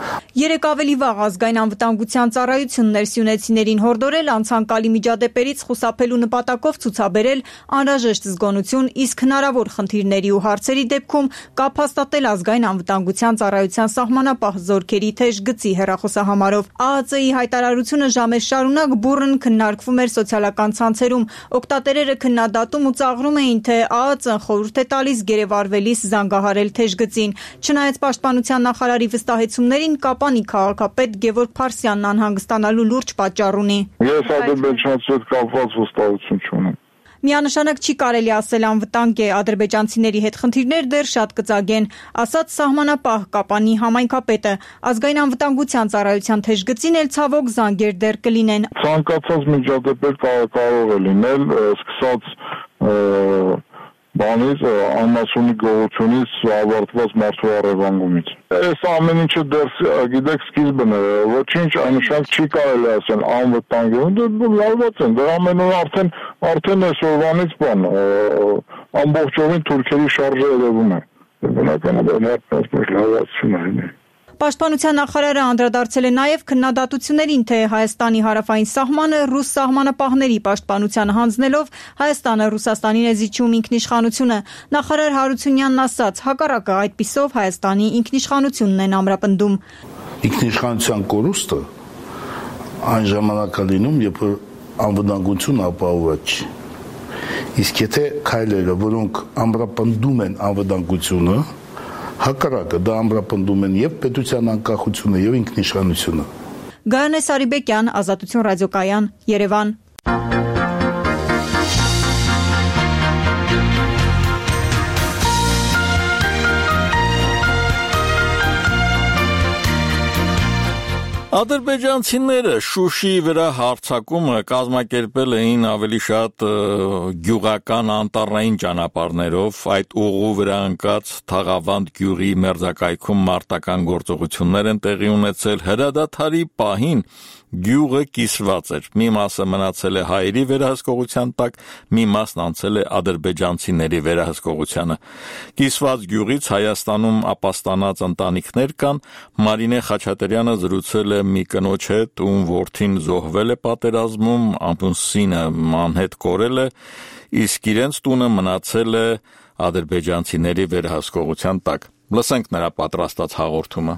Երեք ավելի վաղ ազգային անվտանգության ծառայությունն ներսյունեցիներին հորդորել անցանկալի միջադեպերից խուսափելու նպատակով ցուցաբերել անհրաժեշտ զգոնություն, իսկ հնարավոր խնդիրների ու հարցերի դեպքում կապ հաստատել ազգային անվտանգության ծառայության սահմանապահ զորքերի թեժ գծի հեռախոսահամարով։ ԱԱԾ-ի հայտարարությունը ժամեր շարունակ բուռն քննարկվում էր սոցիալական ցանցերում։ Օգտատերերը քննադատում ու ծաղրում էին, թե ԱԱԾ-ն խորհուրդ է տալիս գերեվարվելիս զանգահարել թեժ գծին։ Չնայած պաշտպանության նախարարի վստահեցումներին, Կապանի քաղաքապետ Գևորգ Փարսյանն անհանգստանալու լուրջ պատճառ ունի։ Ես ադրբեջանցի հետ կապված վստահություն չունեմ։ Միանշանակ չի կարելի ասել անվտանգ է, ադրբեջանցիների հետ խնդիրներ դեռ շատ կծագեն, ասաց սահմանապահ Կապանի համայնքապետը։ Ազգային անվտանգության ծառայության թեժ գծին էլ ցավոք զանգեր դեռ կլինեն։ Ցանկացած միջադեպեր կարող է լինել, սկսած բանից անմասունի գողությունից ավարտված մարդու առևանգումից։ Այս ամեն ինչը դեռ գիտեք սկիզբն է, ոչինչ այնուշանակ չի կարելի ասել անվտանգ է, դե լավված են, դրա ամենը արդեն այսօրվանից բան ամբողջովին թուրքերի շարժը երևում է։ Բնականաբար լավացություն է։ Պաշտպանության նախարարը անդրադարձել է նաև քննադատություններին, թե Հայաստանի հարավային սահմանը ռուս սահմանապահների պաշտպանության հանձնելով Հայաստանը Ռուսաստանին է զիջում ինքնիշխանությունը։ Նախարար Հարությունյանն ասաց, հակառակը այդպիսով Հայաստանի ինքնիշխանությունն են ամրապնդում։ Ինքնիշխանության կորուստը այն ժամանակ է լինում, երբ անվտանգություն ապահովված չի։ Իսկ եթե քայլերը, որոնք ամրապնդում են անվտանգությունը, հակառակը դա ամրապնդում են եւ պետության անկախությունը եւ ինքնիշխանությունը։ Գայանե Սարիբեկյան, Ազատություն ռադիոկայան, Երևան։ Ադրբեջանցիները Շուշիի վրա հարձակումը կազմակերպել էին ավելի շատ գյուղական անտառային ճանապարհներով, այդ ուղու վրա ընկած Թաղավանդ գյուղի մերձակայքում մարտական գործողություններ են տեղի ունեցել, հրադադարի պահին գյուղը կիսված էր, մի մասը մնացել է հայերի վերահսկողության տակ, մի մասն անցել է ադրբեջանցիների վերահսկողությանը։ Կիսված գյուղից Հայաստանում ապաստանած ընտանիքներ կան, Մարինե Խաչատրյանը զրուցել է մի կնոջ հետ, ում որդին զոհվել է պատերազմում, ամուսինը անհետ կորել է, իսկ իրենց տունը մնացել է ադրբեջանցիների վերահսկողության տակ։ Լսենք նրա պատրաստած հաղորդումը։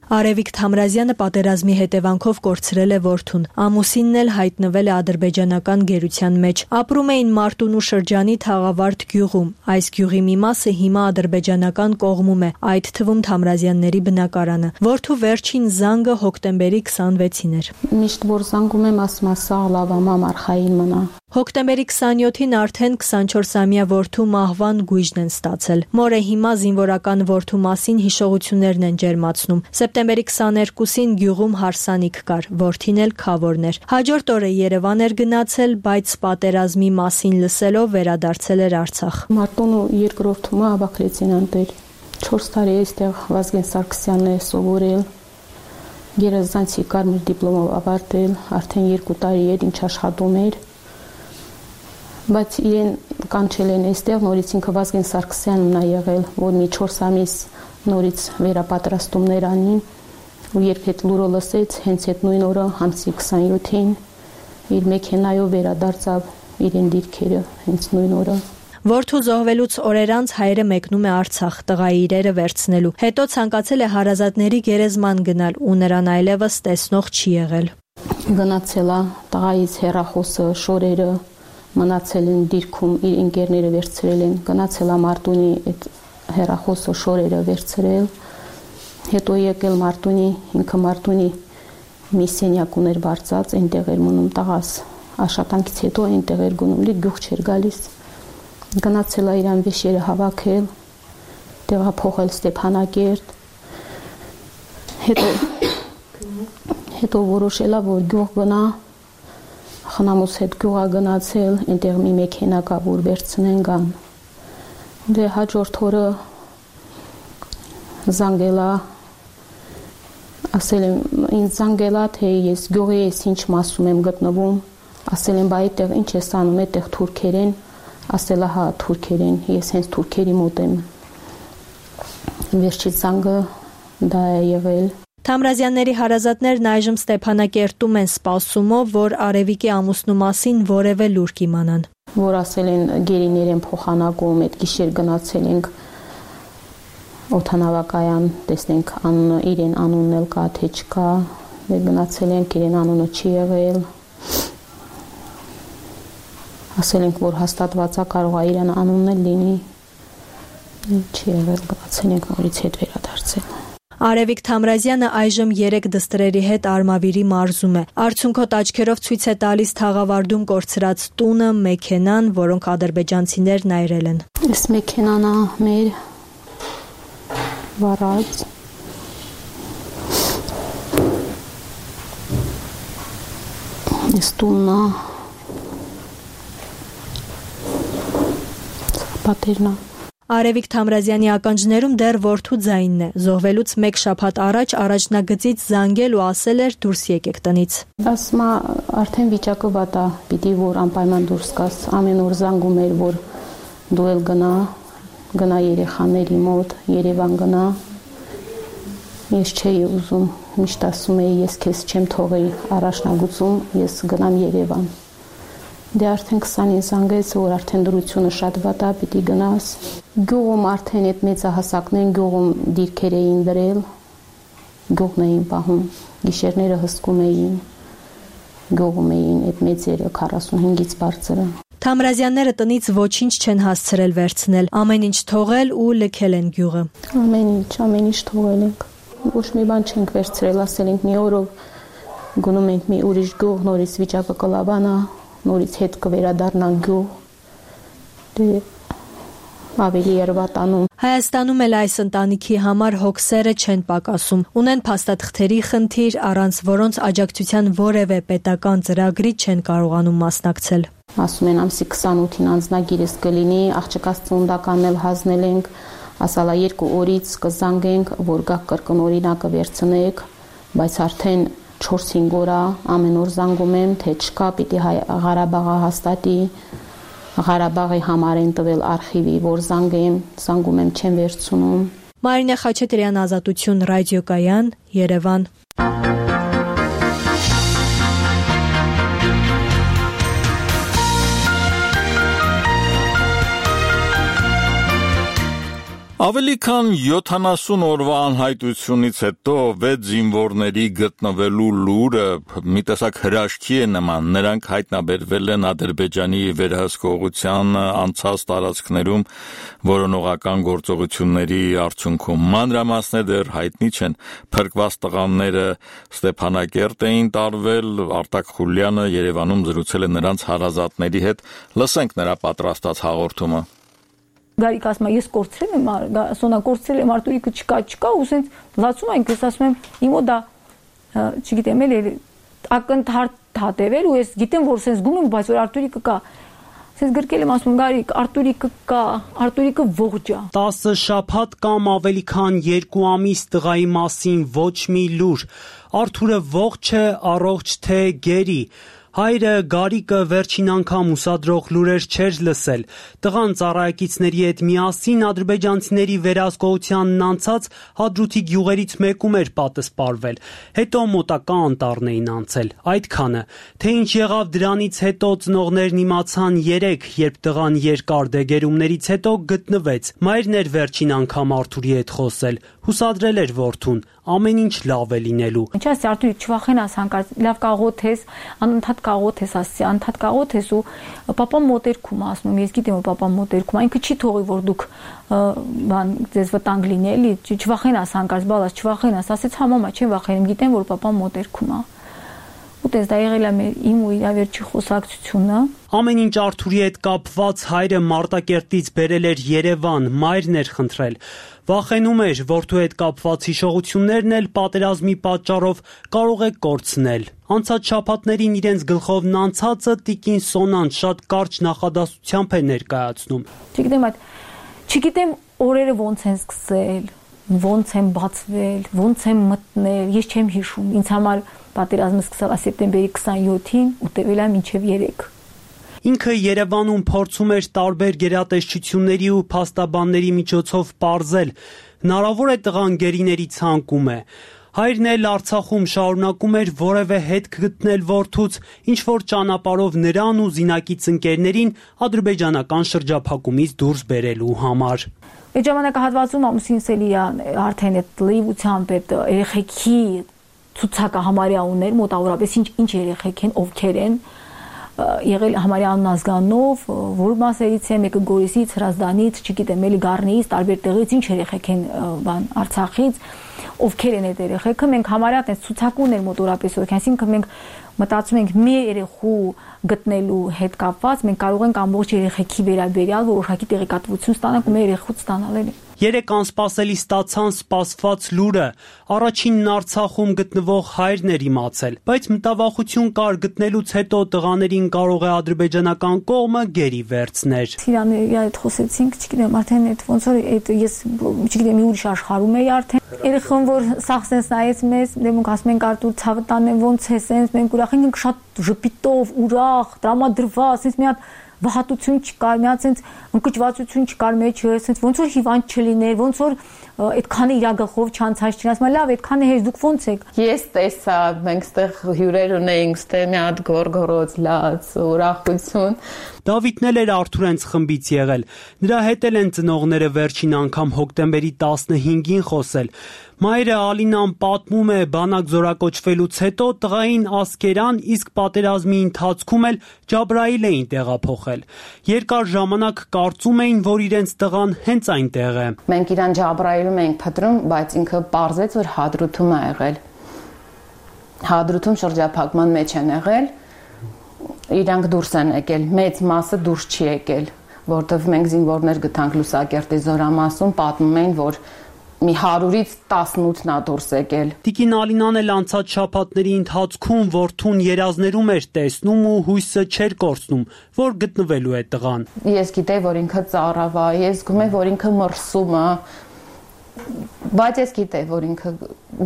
Արևիկ Թամրազյանը պատերազմի հետևանքով կորցրել է որդուն։ Ամուսինն էլ հայտնվել է ադրբեջանական գերության մեջ։ Ապրում էին Մարտունու շրջանի Թաղավարդ գյուղում։ Այս գյուղի մի մասը հիմա ադրբեջանական կողմում է, այդ թվում Թամրազյանների բնակարանը։ Որդու վերջին զանգը հոկտեմբերի 26-ին էր։ Միշտ որ զանգում եմ, ասում եմ, սաղ լավ է, արխային մնա։ Հոկտեմբերի 27-ին արդեն 24-ամյա որդու մահվան գույժն են ստացել։ Մորը հիմա զինվորական որդու մասին հիշողություններն են ջերմացնում։ Սեպտեմբերի 22-ին գյուղում հարսանիք կար, որդին էլ քավորն էր։ Հաջորդ օրը Երևան էր գնացել, բայց պատերազմի մասին լսելով վերադարձել էր Արցախ։ Մարտունու երկրորդումը Աբակ լեյտենանտ էր։ 4 տարի այստեղ Վազգեն Սարգսյանն է սովորել։ Գերազանցի կարմիր դիպլոմով ավարտել, արդեն 2 տարի էր ինչ աշխատում էր։ Բայց իրեն կանչել են այստեղ, նորից ինքը Վազգեն Սարգսյանն է եղել, որ մի 4 ամիս նորից վերապատրաստումներ անին, ու երբ հետ լուրը լսեց, հենց այդ նույն օրը ամսի 27-ին իր մեքենայով վերադարձավ իրեն դիրքերը, հենց նույն օրը։ Որդու զոհվելուց օրեր անց հայրը մեկնում է Արցախ տղայի իրերը վերցնելու։ Հետո ցանկացել է հարազատների գերեզման գնալ ու նրան այլևս տեսնող չի եղել։ Գնացել է տղայից հեռախոսը, շորերը մնացել են դիրքում, իր ընկերները վերցրել են, գնացել է Մարտունի այդ հեռախոսը, շորերը վերցրել, հետո եկել Մարտունի, ինքը Մարտունի մի սենյակ ուներ բարձած, այնտեղ էր մնում տղաս, աշխատանքից հետո այնտեղ էր գնում, գյուղ չէր գալիս, գնացել է իրան վեշերը հավաքել, տեղափոխել Ստեփանակերտ, հետո որոշել է, որ գյուղ գնա, խնամուս հետ գյուղա գնացել, այնտեղ մի մեքենա կա, որ վերցնեն գան։ Դե հաջորդ օրը զանգելա, ասել եմ, ինձ զանգելա, թե ես գյուղի ես ինչ մասում եմ գտնվում, ասել եմ, բայ այդտեղ ինչ ես անում, այդտեղ թուրքեր են, ասելա հա թուրքեր են, ես հենց թուրքերի մոտ եմ։ Վերջից զանգը դա է եղել։ Թամրազյանների հարազատներն այժմ Ստեփանակերտում են սպասումով, որ Արևիկի ամուսնու մասին որևէ լուր կիմանան։ Որ ասել են գերիներ են փոխանակում, այդ գիշեր գնացել ենք օդանավակայան, տեսնենք իրեն անունն էլ կա, թե չկա, գնացել ենք, իրեն անունը չի եղել։ Ասել ենք, որ հաստատված է, կարող է իրեն անունն էլ լինի, չի եղել, գնացել ենք նորից հետ վերադարձել։ Արևիկ Թամրազյանը այժմ 3 դստրերի հետ Արմավիրի մարզում է։ Արդյունքոտ աչքերով ցույց է տալիս թաղավարտում կորցրած տունը, մեքենան, որոնք ադրբեջանցիներն այրել են։ Այս մեքենան է մեր վարած։ Այս տունն է։ Պատերն է։ Արևիկ Թամրազյանի ականջներում դեռ որդու ձայնն է։ Զոհվելուց 1 շաբաթ առաջ առաջնագծից զանգել ու ասել էր դուրս եկեք տնից։ Ասում է արդեն վիճակը վատ է, պիտի որ անպայման դուրս գաս։ Ամեն օր զանգում էր, որ դու էլ գնա երեխաների մոտ, Երևան գնա։ Ես չէի ուզում, միշտ ասում էի, ես քեզ չեմ թողի առաջնագծում, ես գնամ Երևան։ Դե արդեն 20-ին զանգեց, որ արդեն դրությունը շատ վատ է, պիտի գնաս։ Գյուղում արդեն այդ մեծահասակներն գյուղում դիրքեր էին դրել, գյուղն էին պահում, գիշերները հսկում էին, գյուղում էին այդ մեծերը 45-ից բարձրը։ Թամրազյանները տնից ոչինչ չեն հասցրել վերցնել, ամեն ինչ թողել ու լքել են գյուղը։ Ամեն ինչ թողել ենք։ Ոչ մի բան չենք վերցրել, ասել ենք մի օրով գնում ենք մի ուրիշ գյուղ, նորից վիճակը կլավանա, նորից հետ կվերադառնանք գյուղ։ Դե ավելի երևատանում։ Հայաստանում էլ այս ընտանիքի համար հոգսերը չեն պակասում։ Ունեն փաստաթղթերի խնդիր, առանց որոնց աջակցության որևէ պետական ծրագրի չեն կարողանում մասնակցել։ Ասում են ամսի 28-ին անձնագիրս կլինի, աղջկաս ծննդականն էլ հանձնել ենք, ասալա 2 օրից կզանգենք, որ գաք կրկնօրինակը վերցնեք, բայց արդեն 4-5 օր ամեն օր զանգում եմ, թե չկա, պիտի Ղարաբաղը հաստատի, Ղարաբաղի համար են տվել արխիվի, որ զանգում եմ, չեմ վերցնում։ Մարինե Խաչատրյան, Ազատություն, ռադիոկայան, Երևան։ Ավելի քան 70 օրվա անհայտությունից հետո 6 զինվորների գտնվելու լուրը մի տեսակ հրաշքի է նման։ Նրանք հայտնաբերվել են Ադրբեջանի վերահսկողության անցած տարածքներում որոնողական գործողությունների արդյունքում։ Մանրամասները դեռ հայտնի չեն։ Փրկված տղաները Ստեփանակերտ էին տարվել, Արտակ Խուլյանը Երևանում զրուցել է նրանց հարազատների հետ։ Լսենք նրա պատրաստած հաղորդումը։ Գարիկ ասում է, ես կորցրել եմ, Սոնա կորցրել եմ, Արտուրիկը չկա, ու սենց լացում ենք, ես ասում եմ, իմո դա, չգիտեմ, էլ ակնթարթ հատևել, ու ես գիտեմ, որ սենց գում եմ, բայց որ Արտուրիկը կա, սենց գրկել եմ, ասում եմ, Գարիկ, Արտուրիկը կա, Արտուրիկը ողջ է։ 10 շաբաթ կամ ավելի քան 2 ամիս տղայի մասին ոչ մի լուր, Արթուրը ողջ է, առողջ թե գերի։ Հայրը Գարիկը վերջին անգամ ուսադրող լուրեր չէր լսել։ Տղան ծառայակիցների հետ միասին ադրբեջանցիների վերահսկողությանն անցած Հադրութի գյուղերից մեկում էր պատսպարվել։ Հետո մոտակա անտառն էին անցել։ Այդքանը։ Թե ինչ եղավ դրանից հետո ծնողներն իմացան 3, երբ տղան երկար դեգերումներից հետո գտնվեց։ Մայրն էր վերջին անգամ Արթուրի հետ խոսել։ Հուսադրել էր որդուն։ Ամեն ինչ լավ է լինելու։ Ինչ ասի Արտուրի, չվախենաս հանկարծ, լավ կաղոթես, անընդհատ կաղոթես, ասի, անընդհատ կաղոթես ու պապան մոտերքում ասում եմ, ես գիտեմ որ պապան մոտերքում, այնքը չի թողի որ դուք բան ձեզ վտանգ լինի, էլի, չվախենաս հանկարծ, բալաս, չվախենաս, ասեց հա մամա, չեմ վախենում, գիտեմ որ պապան մոտերքում է։ Ուտես դա եղել է իմ ու իր վերջի խոսակցությունը։ Ամեն ինչ Արթուրի հետ կապված հայրը Մարտակերտից բերել էր Երևան, մայրն էր խնդրել։ Վախենում էր, որդու հետ կապված հիշողություններն էլ պատերազմի պատճառով կարող է կորցնել։ Անցած շաբաթներին իրենց գլխովն անցածը տիկին Սոնան շատ կարճ նախադասությամբ է ներկայացնում։ Չգիտեմ օրերը ոնց են սկսել։ ոնց եմ բացվել, ոնց եմ մտնել, ես չեմ հիշում։ Ինձ համար պատերազմը սկսավ սեպտեմբերի 27-ին ու տևել է մինչև 3։ Ինքը Երևանում փորձում էր տարբեր գերատեսչությունների ու փաստաբանների միջոցով պարզել, հնարավոր է տղան գերիների ցանկում է։ Հայրն էլ Արցախում շարունակում էր որևէ հետք գտնել որդուց, ինչ որ ճանապարհով նրան ու զինակից ընկերներին ադրբեջանական շրջափակումից դուրս բերելու համար։ Այդ ժամանակահատվածում ամուսինս էլի արդեն այդ լիվությամբ այդ երեխեքի ցուցակը համարյա ուներ, մոտավորապես ինչ երեխեք են, ովքեր են, եղել համարյա անազգանով, որ մասերից է, մեկը Գորիսից, Հրազդանից, չգիտեմ, էլի Գառնիից, տարբեր տեղից, ինչ երեխեք են Արցախից, ովքեր են այդ երեխեքը, մենք համարյա այդպես ցուցակ ուներ մոտավորապես, այսինքն մենք մտածում ենք մի երեխու գտնելու հետ կապված, մենք կարող ենք ամբողջ երեխեքի վերաբերյալ որոշակի տեղեկատվություն ստանանք ու մեր երեխուց ստանալ էլի։ 3 անսպասելի ստացան սպասված լուրը, առաջինն Արցախում գտնվող հայրն էր իմացել, բայց մտավախություն կար գտնելուց հետո տղաներին կարող է ադրբեջանական կողմը գերի վերցներ։ Սիրանների այդ խոսեցինք, չգիտեմ, արդեն այդ ոնց որ այդ ես չգիտեմ մի ուրիշ աշխարհում էի արդեն։ Երեխան որ սաղ սենց նայեց մեզ, դեմոնք ասում են Արտուր ցավը տանեմ ոնց է սենց, մենք ուրախ ենք շատ ժպիտով, ուրախ, տրամադրված, սենց մի հատ վհատություն չկար, մի հատ սենց ընկճվածություն չկար մեջը, սենց ոնց որ հիվանդ չլիներ, ոնց որ այդքանը իր գլխով չանցած չնաս, մա լավ, այդքանը հեշտ դուք ոնց եք։ Ես տեսա, մենք ստեղ հյուրեր ունեինք, ստեղ մի հատ գորգորոց լաց, ուրախություն։ Դավիթն էլ էր Արթուրենց խմբից եղել։ Նրա հետ էլ են ծնողները վերջին անգամ հոկտեմբերի 15-ին խոսել։ Մայրը Ալինան պատմում է, բանակ զորակոչվելուց հետո տղային Ասկերան, իսկ պատերազմի ընթացքում էլ Ջաբրայիլ էին տեղափոխել։ Երկար ժամանակ կարծում էին, որ իրենց տղան հենց այնտեղ է։ Մենք իրան Ջաբրայիլում էինք փտրում, բայց ինքը պարզեց, որ Հադրութում է եղել։ Հադրութում շրջափակման մեջ են եղել։ Իրանք դուրս են եկել, մեծ մասը դուրս չի եկել, որտեղ մենք զինվորներ գտանք Լուսակերտի զորամասում, պատմում էին, որ մի 100-ից 18-ն է դուրս եկել։ Տիկին Ալինան էլ անցած շաբաթների ընթացքում որդուն երազներում էր տեսնում ու հույսը չէր կորցնում, որ գտնվելու է տղան։ Ես գիտեի, որ ինքը ծարավ է, ես զգում եմ, որ ինքը մրսում է, բայց ես գիտեի, որ ինքը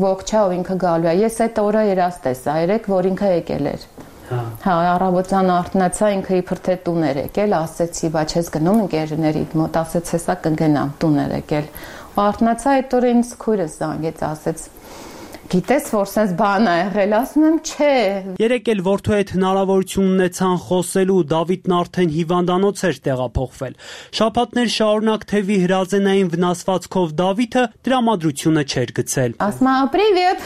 ողջ է ու ինքը գալու է։ Ես այդ օրը երազ տեսա, երեք, որ ինքը եկել էր։ Հա, առավոտյան արթնացա, ինքը իբր թե տուն էր եկել, ասեցի, բայց ես գնում ընկերներիդ մոտ, ասեց, հեսա կգնամ, տուն էր եկել։ Արթնացա այդ օրը ինձ քույրս զանգեց, ասեց, գիտես, որ սենց բան է եղել, ասում եմ, չէ։ Երեկ էլ որդու հետ հնարավորություն ունեցան խոսելու, Դավիթն արդեն հիվանդանոց էր տեղափոխվել։ Շաբաթներ շարունակ թևի հրազենային վնասվածքով Դավիթը տրամադրությունը չէր գցել։ Ասում եմ, «Привет»։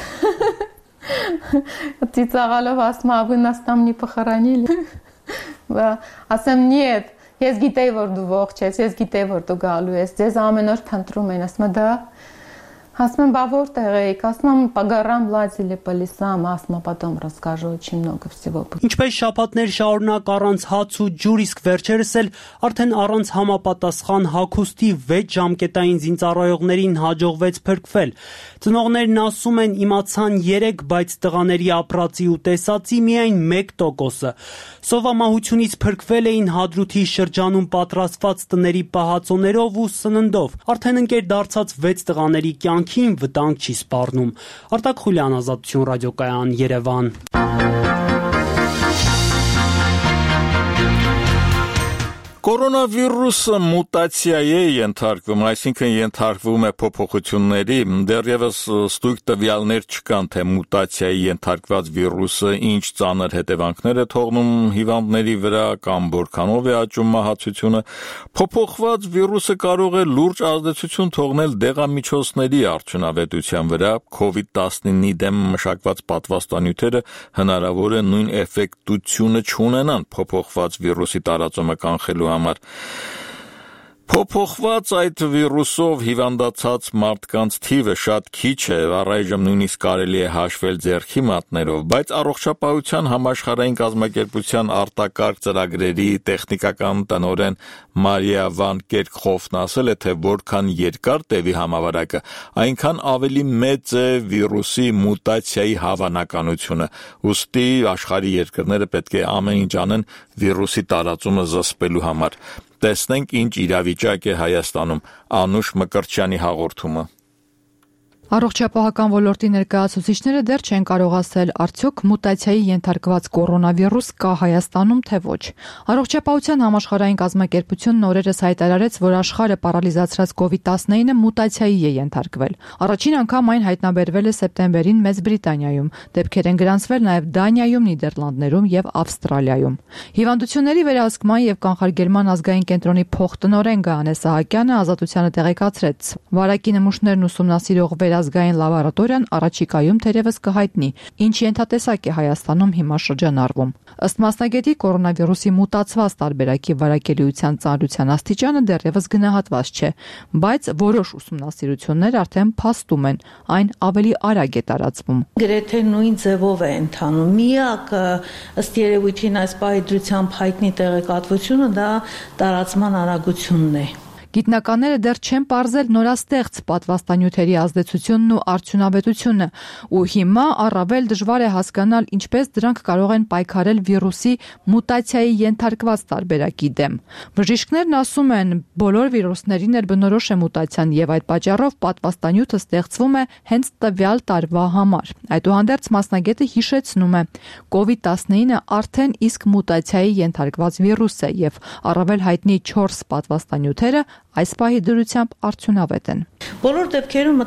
Ծիծաղալով ասում եմ, «Вы нас там не похоронили»։ Ասեմ, «Нет, ես գիտեի, որ դու ողջ ես, ես гитեի, որ դու գալու ես, ձեզ ամեն օր փնտրում են», ասում եմ, «Да»։ Ասում եմ, «Բա որտեղ էիք», ասում եմ, «По горам лазили, по лесам», ասում եմ, «Потом расскажу очень много всего». Ինչպես շաբաթներ շարունակ առանց հաց ու ջուր, իսկ վերջերս էլ արդեն առանց համապատասխան հագուստի 6 ժամկետային զինծառայողներին հաջողվեց փրկվել։ Ծնողներն ասում են, իմացան 3, բայց տղաների ապրածի ու տեսածի միայն 1%-ը։ Սովամահությունից փրկվել էին Հադրութի շրջանում պատրաստված տների պահածոներով ու սննդով։ Արդեն ընկեր դարձած 6 տղաների կյանքին վտանգ չի սպառնում։ Արտակ Խուլյան, Ազատություն ռադիոկայան, Երևան։ Կորոնավիրուսը մուտացիայի է ենթարկվում, այսինքն ենթարկվում է փոփոխությունների, դեռևս ստույգ տվյալներ չկան, թե մուտացիայի ենթարկված վիրուսը ինչ ծանր հետևանքներ է թողնում հիվանդների վրա կամ որքանով է աճում մահացությունը։ Փոփոխված վիրուսը կարող է լուրջ ազդեցություն թողնել դեղամիջոցների արդյունավետության վրա, COVID-19-ի դեմ մշակված պատվաստանյութերը հնարավոր է նույն էֆեկտությունը չունենան փոփոխված վիրուսի տարածումը կանխելու համար։ Փոփոխված այդ վիրուսով հիվանդացած մարդկանց թիվը շատ քիչ է, առայժմ նույնիսկ կարելի է հաշվել ձեռքի մատներով, բայց Առողջապահության համաշխարհային կազմակերպության արտակարգ ծրագրերի տեխնիկական տնօրեն Մարիա վան Կերքխոֆն ասել է, թե որքան երկար տևի համավարակը, այնքան ավելի մեծ է վիրուսի մուտացիայի հավանականությունը, ուստի աշխարհի երկրները պետք է ամեն ինչ անեն վիրուսի տարածումը զսպելու համար։ Տեսնենք ինչ իրավիճակ է Հայաստանում, Անուշ Մկրտչյանի հաղորդումը։ Առողջապահական ոլորտի ներկայացուցիչները դեռ չեն կարող ասել, արդյոք մուտացիայի ենթարկված կորոնավիրուս կա Հայաստանում, թե ոչ։ Առողջապահության համաշխարհային կազմակերպությունն օրերս հայտարարեց, որ աշխարհը պարալիզացրած COVID-19-ը մուտացիայի է ենթարկվել։ Առաջին անգամ այն հայտնաբերվել է սեպտեմբերին Մեծ Բրիտանիայում, դեպքեր են գրանցվել նաև Դանիայում, Նիդերլանդներում եւ Ավստրալիայում։ Հիվանդությունների վերահսկման եւ կանխարգելման ազգային կենտրոնի փոխտնօրեն Գայանե Սահակյանը Ազատությանը տեղեկացրեց. վարակի նմուշներն ուսումնասիրող ազգային լաբորատորիան առաջիկայում թերևս կհայտնի, ինչ ենթատեսակ է Հայաստանում հիմա շրջանառվում։ Ըստ մասնագետի, կորոնավիրուսի մուտացված տարբերակի վարակելիության ծանրության աստիճանը դեռևս գնահատված չէ, բայց որոշ ուսումնասիրություններ արդեն փաստում են, այն ավելի արագ է տարածվում։ Գրեթե նույն ձևով է ընթանում։ Միակ ըստ երևույթին այս պահի դրությամբ հայտնի տեղեկատվությունը դա տարածման արագությունն է։ Գիտնականները դեռ չեն պարզել նորաստեղծ պատվաստանյութերի ազդեցությունն ու արդյունավետությունը, ու հիմա առավել դժվար է հասկանալ, ինչպես դրանք կարող են պայքարել վիրուսի մուտացիայի ենթարկված տարբերակի դեմ։ Բժիշկներն ասում են, բոլոր վիրուսներին էլ բնորոշ է մուտացիան եւ այդ պատճառով պատվաստանյութը ստեղծվում է հենց տվյալ տարվա համար։ Այդուհանդերձ մասնագետը հիշեցնում է, COVID-19-ը արդեն իսկ մուտացիայի ենթարկված վիրուս է եւ առավել հայտնի 4 պատվաստանյութերը այս պահի դրությամբ արդյունավետ են։ Բոլոր դեպքերում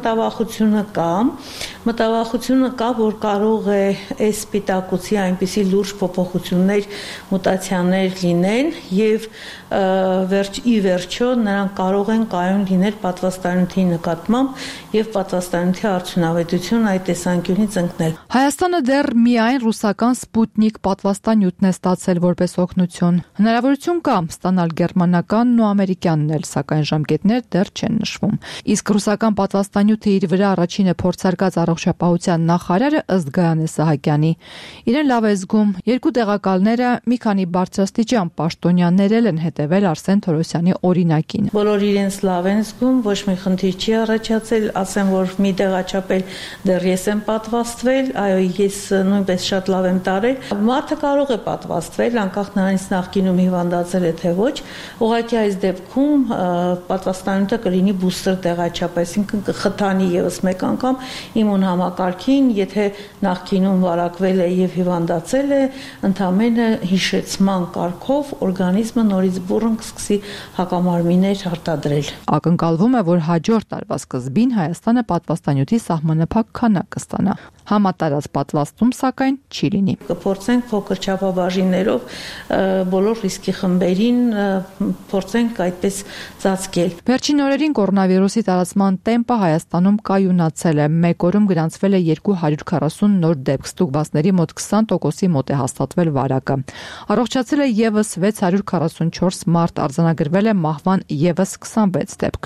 մտավախությունը կա, որ կարող է այս սպիտակուցի այնպիսի լուրջ փոփոխություններ, մուտացիաներ լինեն եւ ի վերջո նրանք կարող են կայուն լինել պատվաստանյութի նկատմամբ եւ պատվաստանյութի արդյունավետությունը այդ տեսանկյունից ընկնել։ Հայաստանը դեռ միայն ռուսական Սպուտնիկ պատվաստանյութն է ստացել որպես օգնություն։ Հնարավորություն կա ստանալ գերմանականն ու ամերիկյանն էլ, սակայն ժամկետներ դեռ չեն նշվում։ Իսկ ռուսական պատվաստանյութը իր վրա առաջինը փորձարկած առողջապահության նախարարը ըստ Գայանե Սահակյանի իրեն լավ է զգում։ Երկու տեղակալները մի քանի բարձրաստիճան պաշտոնյաներ են հետևել Արսեն Թորոսյանի օրինակին։ Բոլոր իրենց լավ են զգում, ոչ մի խնդիր չի առաջացել, ասեմ, որ մի տեղաչափել դեռ ես եմ պատվաստվել, այո, ես նույնպես շատ լավ եմ տարել։ Մարդը կարող է պատվաստվել, անկախ նրանից նախկինում հիվանդացել է թե ոչ, ուղղակի այս դեպքում պատվաստանյութը կլինի բուստեր տեղաչափ, այսինքն կխթանի եւս մեկ անգամ իմուն համակարգին, եթե նախկինում վարակվել է եւ հիվանդացել է, ընդամենը հիշեցման կարգով օրգանիզմը նորից բուռն կսկսի հակամարմիններ արտադրել։ Ակնկալվում է, որ հաջորդ տարվա սկզբին Հայաստանը պատվաստանյութի սահմանափակ քանակ կստանա։ Համատարած պատվաստում, սակայն, չի լինի։ Կփորձենք փոքր չափաբաժիններով բոլոր ռիսկի խմբերին փորձենք այդպես ծածկել։ Վերջին օրերին կորոնավիրուսի տարածման տեմպը Հայաստանում կայունացել է։ Մեկ օրում գրանցվել է 240 նոր դեպք, ստուգվածների մոտ 20%-ի մոտ է հաստատվել վարակը։ Առողջացել է եւս 644 մարդ, արձանագրվել է մահվան եւս 26 դեպք։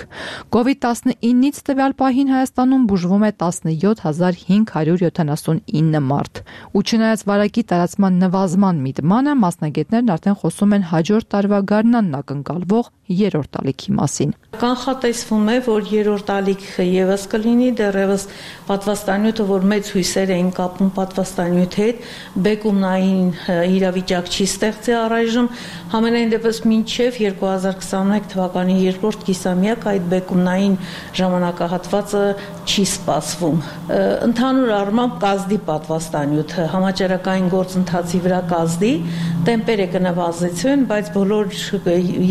COVID-19-ից տվյալ պահին Հայաստանում բուժվում է 17579 մարդ։ Ու չնայած վարակի տարածման նվազման միտմանը, մասնագետներն արդեն խոսում են հաջորդ տարվա գարնանն ակնկալվող երրորդ ալիքի մասին։ Կանխատեսվում է, որ երրորդ ալիքը եւս կլինի, դեռևս պատվաստանյութը, որ մեծ հույսեր էին կապում պատվաստանյութի հետ, բեկումնային իրավիճակ չի ստեղծի առայժմ, համենայն դեպս մինչև 2021 թվականի երկրորդ կիսամյակ այդ բեկումնային ժամանակահատվածը չի սպասվում։ Ընդհանուր առմամբ կազդի պատվաստանյութը համաճարակային գործընթացի վրա կազդի, տեմպերը կնվազեցվեն, բայց բոլոր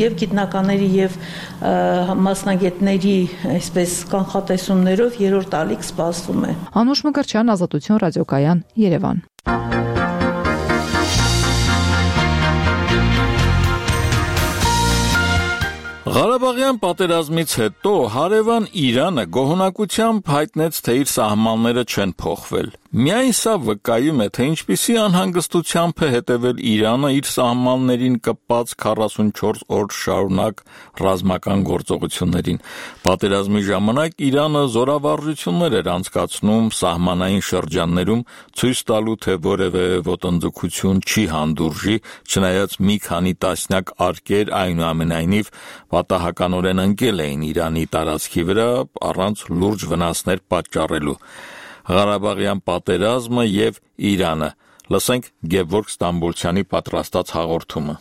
եւ գիտնականների եւ մասնագետների այսպես կանխատեսումներով երրորդ ալիք սպասվում է։ Անուշ Մկրտչյան, Ազատություն ռադիոկայան, Երևան։ Ղարաբաղյան պատերազմից հետո հարևան Իրանը գոհունակությամբ հայտնեց, թե իր սահմանները չեն փոխվել։ Միայն սա վկայում է, թե ինչպիսի անհանգստությամբ է հետևել Իրանը իր սահմաններին կպած 44 օր շարունակ ռազմական գործողություններին։ Պատերազմի ժամանակ Իրանը զորավարժություններ էր անցկացնում սահմանային շրջաններում, ցույց տալու, թե որևէ ոտնձգություն չի հանդուրժի, չնայած մի քանի տասնյակ արկեր այնուամենայնիվ պատահականորեն ընկել էին Իրանի տարածքի վրա առանց լուրջ վնասներ պատճառելու։ Ղարաբաղյան պատերազմը եւ Իրանը։ Լսենք Գևորգ Ստամբոլցյանի պատրաստած հաղորդումը։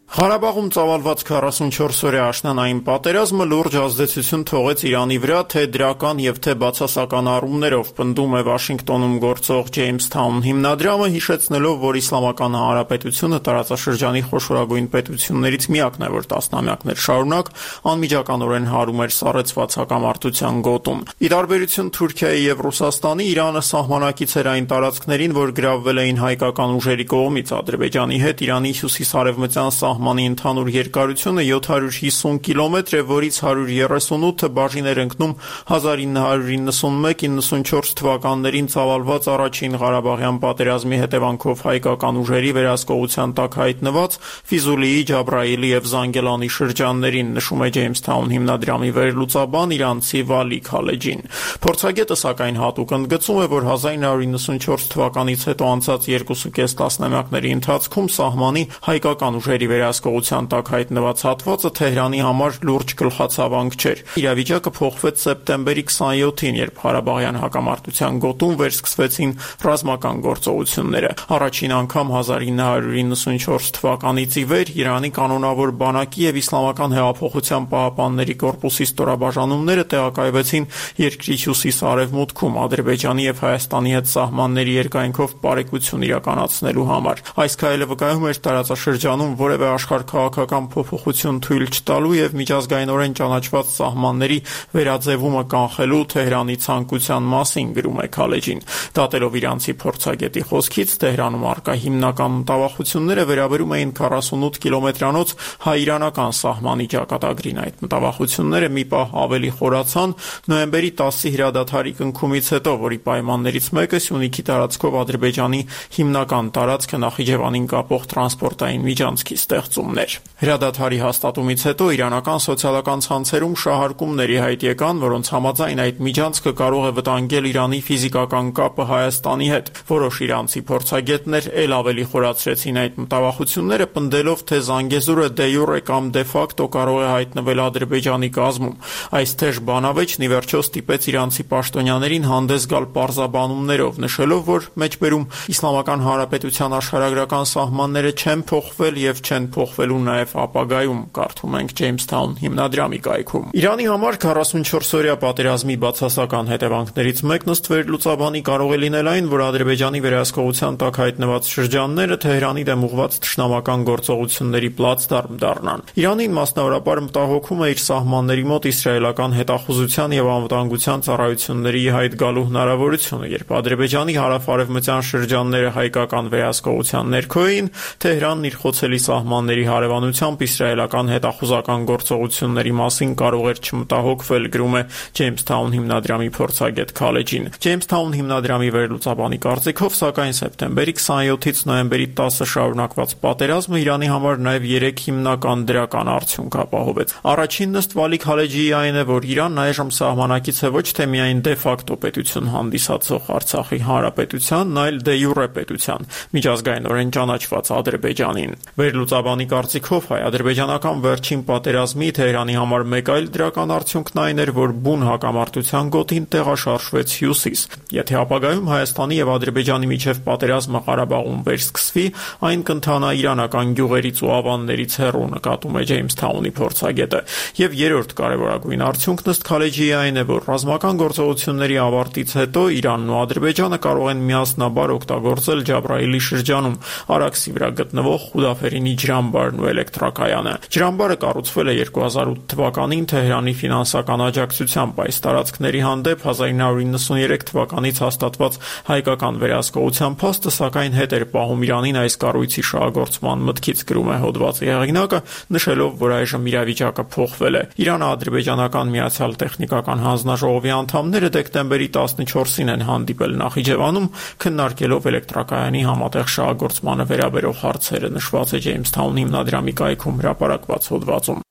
Ղարաբաղում ծավալված 44-օրյա աշնանային պատերազմը լուրջ ազդեցություն թողեց Իրանի վրա, թե դրական եւ թե բացասական առումներով, պնդում է Վաշինգտոնում գործող Ջեյմսթաուն հիմնադրամը, հիշեցնելով, որ Իսլամական Հանրապետությունը տարածաշրջանի խոշորագույն պետություններից միակն է, որ տասնամյակներ շարունակ անմիջականորեն հարում էր սառեցված հակամարտության գոտում։ Ի տարբերություն Թուրքիայի եւ Ռուսաստանի, Իրանը սահմանակից էր այն տարածքներին, որ գրավվել էին հայկական ուժերի կողմից։ Ադրբեջանի հետ Իրանի հյուսիսարևմտյան սահմանի ընդհանուր երկարությունը 750 կիլոմետր է, որից 138-ը բաժին էր ընկնում 1991-94 թվականներին ծավալված առաջին Ղարաբաղյան պատերազմի հետևանքով հայկական ուժերի վերահսկողության տակ հայտնված Ֆիզուլիի, Ջաբրայիլի եւ Զանգելանի շրջաններին, նշում է Ջեյմսթաուն հիմնադրամի վերլուծաբան իրանցի Վալի Քալեջին։ Փորձագետը սակայն հատուկ ընդգծում է, որ 1994 թվականից հետո անցած 2.5 տասնամյակների ընթացքում սահմանի հայկական ուժերի վերահսկողության տակ հայտնված հատվածը Թեհրանի համար լուրջ գլխացավանք չէր։ Իրավիճակը փոխվեց սեպտեմբերի 27-ին, երբ Ղարաբաղյան հակամարտության գոտում վերսկսվեցին ռազմական գործողությունները։ Առաջին անգամ 1994 թվականից ի վեր Իրանի կանոնավոր բանակի եւ Իսլամական հեղափոխության պահապանների կորպուսի ստորաբաժանումները տեղակայվեցին երկրի հյուսիս-արևմուտքում Ադրբեջանի եւ Հայաստանի հետ սահմանների երկայնքով բարեկություն իրականացնելու համար։ Այս քայլը վկայում էր տարածաշրջանում որևէ աշխարհքաղաքական փոփոխություն թույլ չտալու եւ միջազգայինորեն ճանաչված սահմանների վերաձևումը կանխելու Թեհրանի ցանկության մասին, գրում է Քալեջին։ Դատելով իրանցի փորձագետի խոսքից, Թեհրանում արկա հիմնական մտավախությունները վերաբերում էին 48 կիլոմետրանոց հայ-իրանական սահմանի ճակատագրին։ Այդ մտավախությունները մի պահ ավելի խորացան նոյեմբերի 10-ի հրադադարի կնքումից հետո, որի պայմաններից մեկը Սյունիքի տարածքով Ադրբեջանի հիմնական տարածքը Նախիջևանին կապող տրանսպորտային միջանցքի ստեղծումն էր։ Հրադադարի հաստատումից հետո իրանական սոցիալական ցանցերում շահարկումների հայտ եկան, որոնց համաձայն այդ միջանցքը կարող է վտանգել Իրանի ֆիզիկական կապը Հայաստանի հետ։ Որոշ իրանցի փորձագետներ ել ավելի խորացրեցին այդ մտավախությունները, պնդելով, թե Զանգեզուրը դե յուրե կամ դե ֆակտո կարող է հայտնվել Ադրբեջանի կազմում։ Այս թեժ բանավեճն ի վերջո ստիպեց իրանցի պաշտոնյաներին հանդես գալ պարզաբանումներով, նշելով, որ մեջբերում Իսլամական Հանրապետության աշխարհագրական սահմանները չեն փոխվել եւ չեն փոխվելու նաեւ ապագայում, կարդում ենք Ջեյմսթաուն հիմնադրամի կայքում։ Իրանի համար 44-օրյա պատերազմի բացասական հետևանքներից մեկն ըստ վերլուծաբանի կարող է լինել այն, որ Ադրբեջանի վերահսկողության տակ հայտնված շրջանները Թեհրանի դեմ ուղղված թշնամական գործողությունների պլացդարմ դառնան։ Իրանին մասնավորապես մտահոգում է իր սահմանների մոտ իսրայելական հետախուզության եւ անվտանգության ծառայությունների հայտ գալու հնարավորությունը, երբ Ադրբեջանի հարավ-արևմտյան շրջանները հայկական վերահսկողության ներքո էին, Թեհրանն իր խոցելի սահմանների հարևանությամբ իսրայելական հետախուզական գործողությունների մասին կարող էր չմտահոգվել, գրում է Ջեյմսթաուն հիմնադրամի փորձագետ Քալեջին։ Ջեյմսթաուն հիմնադրամի վերլուծաբանի կարծիքով, սակայն սեպտեմբերի 27-ից նոյեմբերի 10-ը շարունակված պատերազմը Իրանի համար նաև 3 հիմնական դրական արդյունք ապահովեց։ Առաջինն ըստ Վալի Քալեջիի այն է, որ Իրանն այժմ սահմանակից է ոչ թե միայն դե ֆակտո պետություն հանդիսացող Արցախի հանրապետությանն, այլ դե յուրե պետության, միջազգայինորեն ճանաչված Ադրբեջանին։ Վերլուծաբանի կարծիքով հայ-ադրբեջանական վերջին պատերազմի Թեհրանի համար մեկ այլ դրական արդյունքն այն էր, որ բուն հակամարտության գոտին տեղաշարժվեց հյուսիս։ Եթե ապագայում Հայաստանի եւ Ադրբեջանի միջև պատերազմը Ղարաբաղում վերսկսվի, այն կընթանա իրանական գյուղերից ու ավաններից հեռու, նկատում է Ջեյմսթաունի փորձագետը։ Եվ երրորդ կարևորագույն արդյունքն ըստ Քալեջիի այն է, որ ռազմական գործողությունների ավարտից հետո Իրանն ու Ադրբեջանը կարող են միասնաբար օգտագործել Ջաբրայիլի շրջանում Արաքսի վրա գտնվող Խուդաֆերինի ջրամբարն ու էլեկտրակայանը։ Ջրամբարը կառուցվել է 2008 թվականին Թեհրանի ֆինանսական աջակցությամբ։ Այս տարածքների հանդեպ 1993 թվականից հաստատված հայկական վերահսկողության փաստը սակայն հետ էր պահում Իրանին այս կառույցի շահագործման մտքից, գրում է հոդվածի հեղինակը, նշելով, որ այժմ իրավիճակը փոխվել է։ Իրանը ադրբեջանական Միացյալ տեխնիկական հանձնաժողովի անդամները դեկտեմբերի 14-ին են հանդիպել Նախիջևանում, քննարկելով էլեկտրակայանի համատեղ շահագործմանը վերաբերող հարցերը, նշված է Ջեյմսթաուն հիմնադրամի կայքում հրապարակված հոդվածում։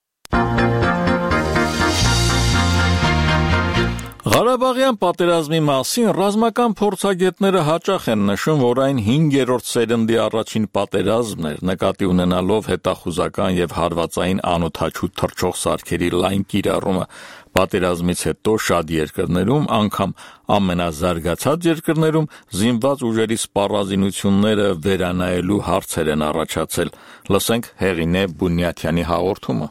Ղարաբաղյան պատերազմի մասին ռազմական փորձագետները հաճախ են նշում, որ այն 5-րդ սերնդի առաջին պատերազմն էր, նկատի ունենալով հետախուզական եւ հարվածային անօդաչու թռչող սարքերի լայն կիրառումը։ Պատերազմից հետո շատ երկրներում, անգամ ամենազարգացած երկրներում զինված ուժերի սպառազինությունները վերանայելու հարցեր են առաջացել։ Լսենք Հեղինե Բունյաթյանի հաղորդումը։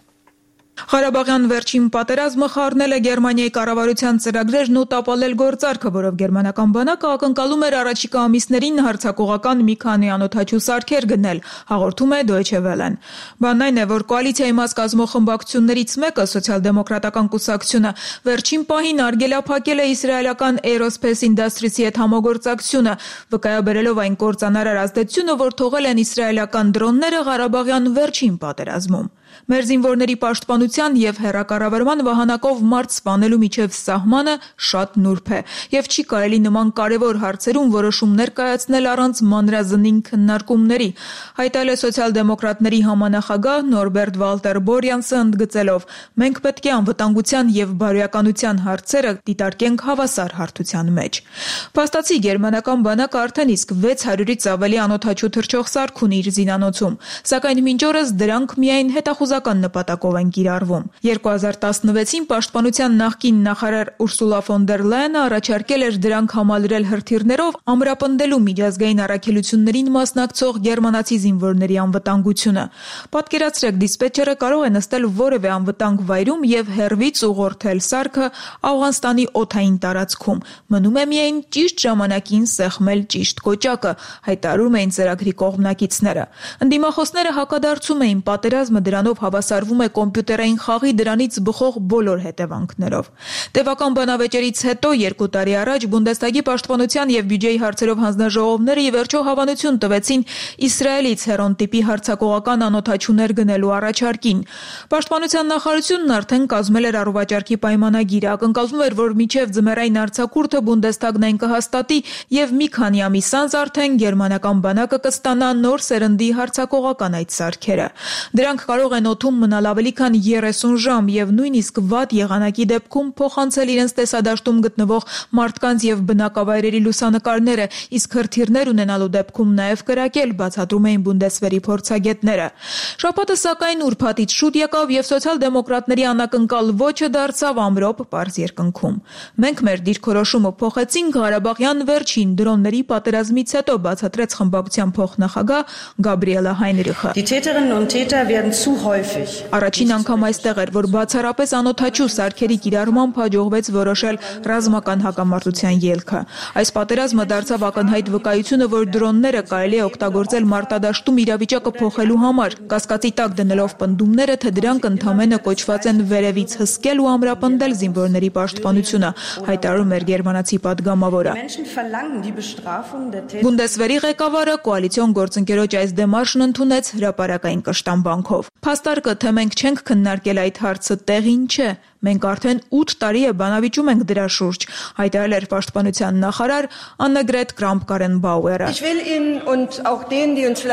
Ղարաբաղյան վերջին պատերազմը խառնել է Գերմանիայի կառավարության ծրագրերն ու տապալել գործարքը, որով գերմանական բանակը ակնկալում էր առաջիկա ամիսներին հարձակողական մի քանի անօդաչու սարքեր գնել, հաղորդում է Deutsche Welle-ն։ Բանն այն է, որ կոալիցիայի մաս կազմող խմբակցություններից մեկը, Սոցիալ-դեմոկրատական կուսակցությունը, վերջին պահին արգելափակել է իսրայելական Aerospace Industries-ի հետ համագործակցությունը, վկայաբերելով այն կործանարար ազդեցությունը, որ թողել են իսրայելական դրոնները Ղարաբաղյան վերջին պատերազմում։ Մեր զինվորների պաշտպանության եւ հեռակառավարման վահանակով մարդ սպանելու միջև սահմանը շատ նուրբ է եւ չի կարելի նման կարեւոր հարցերում որոշումներ կայացնել առանց մանրազնին քննարկումների, հայտարարել է սոցիալ-դեմոկրատների համանախագահ Նորբերտ Վալտեր Բորյանսը ընդգծելով. մենք պետք է անվտանգության եւ բարոյականության հարցերը դիտարկենք հավասար հարթության մեջ։ Փաստացի գերմանական բանակը արդեն իսկ 600-ից ավելի անօդաչու թռչող սարք ունի իր զինանոցում, սակայն մինչ օրս դրանք միայն հետախուզական նպատակով են կիրառվում։ 2016-ին պաշտպանության նախկին նախարար Ուրսուլա ֆոն դեր Լայենը առաջարկել էր դրանք համալրել հրթիռներով ամրապնդելու միջազգային առաքելություններին մասնակցող գերմանացի զինվորների անվտանգությունը։ Պատկերացրեք, դիսպետչերը կարող է նստել որևէ անվտանգ վայրում եւ հեռվից ուղղորդել սարքը Աուղանստանի օդային տարածքում։ Մնում է միայն ճիշտ ժամանակին սեղմել ճիշտ կոճակը, հայտարարում էին ծրագրի կողմնակիցները։ Ընդդիմախոսները հակադարձում էին պատերազմը դրանով հավասարվում է կոմպյուտերային խաղի դրանից բխող բոլոր հետևանքներով։ Տևական բանավեճերից հետո 2 տարի առաջ Բունդեսթագի պաշտպանության եւ բյուջեի հարցերով հանձնաժողովները ի վերջո հավանություն տվեցին Իսրայելից հերոն տիպի հարձակողական անօդաչուներ գնելու առաջարկին։ Պաշտպանության նախարարությունն արդեն կազմել էր առողջարքի պայմանագիրը, ակնկալվում էր, որ մինչև ձմեռային արձակուրդը Բունդեսթագն այն կհաստատի եւ մի քանի ամիս անց արդեն գերմանական բանակը կստանա նոր սերնդի հարձակողական այդ սարքերը։ Դրանք կարող են օդում մնալ ավելի քան 30 ժամ եւ նույնիսկ վատ եղանակի դեպքում փոխանցել իրենց տեսադաշտում գտնվող մարդկանց եւ բնակավայրերի լուսանկարները, իսկ հրթիռներ ունենալու դեպքում նաեւ կրակել, բացատրում էին Բունդեսվերի փորձագետները։ Շաբաթը սակայն ուրբաթից շուտ եկավ եւ սոցիալ-դեմոկրատների անակնկալ ոչը դարձավ ամրոպ պարզ երկնքում։ Մենք մեր դիրքորոշումը փոխեցինք Ղարաբաղյան վերջին դրոնների պատերազմից հետո, բացատրեց խմբակցության փոխնախագահ Գաբրիելա Հայնրիխը։ Առաջին անգամ այստեղ էր, որ բացառապես անօդաչու սարքերի կիրառմամբ հաջողվեց որոշել ռազմական հակամարտության ելքը։ Այս պատերազմը դարձավ ակնհայտ վկայությունը, որ դրոնները կարելի է օգտագործել մարտադաշտում իրավիճակը փոխելու համար, կասկածի տակ դնելով պնդումները, թե դրանք ընդամենը կոչված են վերևից հսկել ու ամրապնդել զինվորների պաշտպանությունը, հայտարարում էր գերմանացի պատգամավորը։ Բունդեսվերի ղեկավարը կոալիցիոն գործընկերոջ այս դեմարշն ընդունեց հրապարակային կշտամբանքով։ Փաստարկը, թե մենք չենք քննարկել այդ հարցը, տեղին չէ։ Մենք արդեն 8 տարի է բանավիճում ենք դրա շուրջ, հայտարարել էր պաշտպանության նախարար Աննեգրետ Կրամփ-Կարենբաուերը։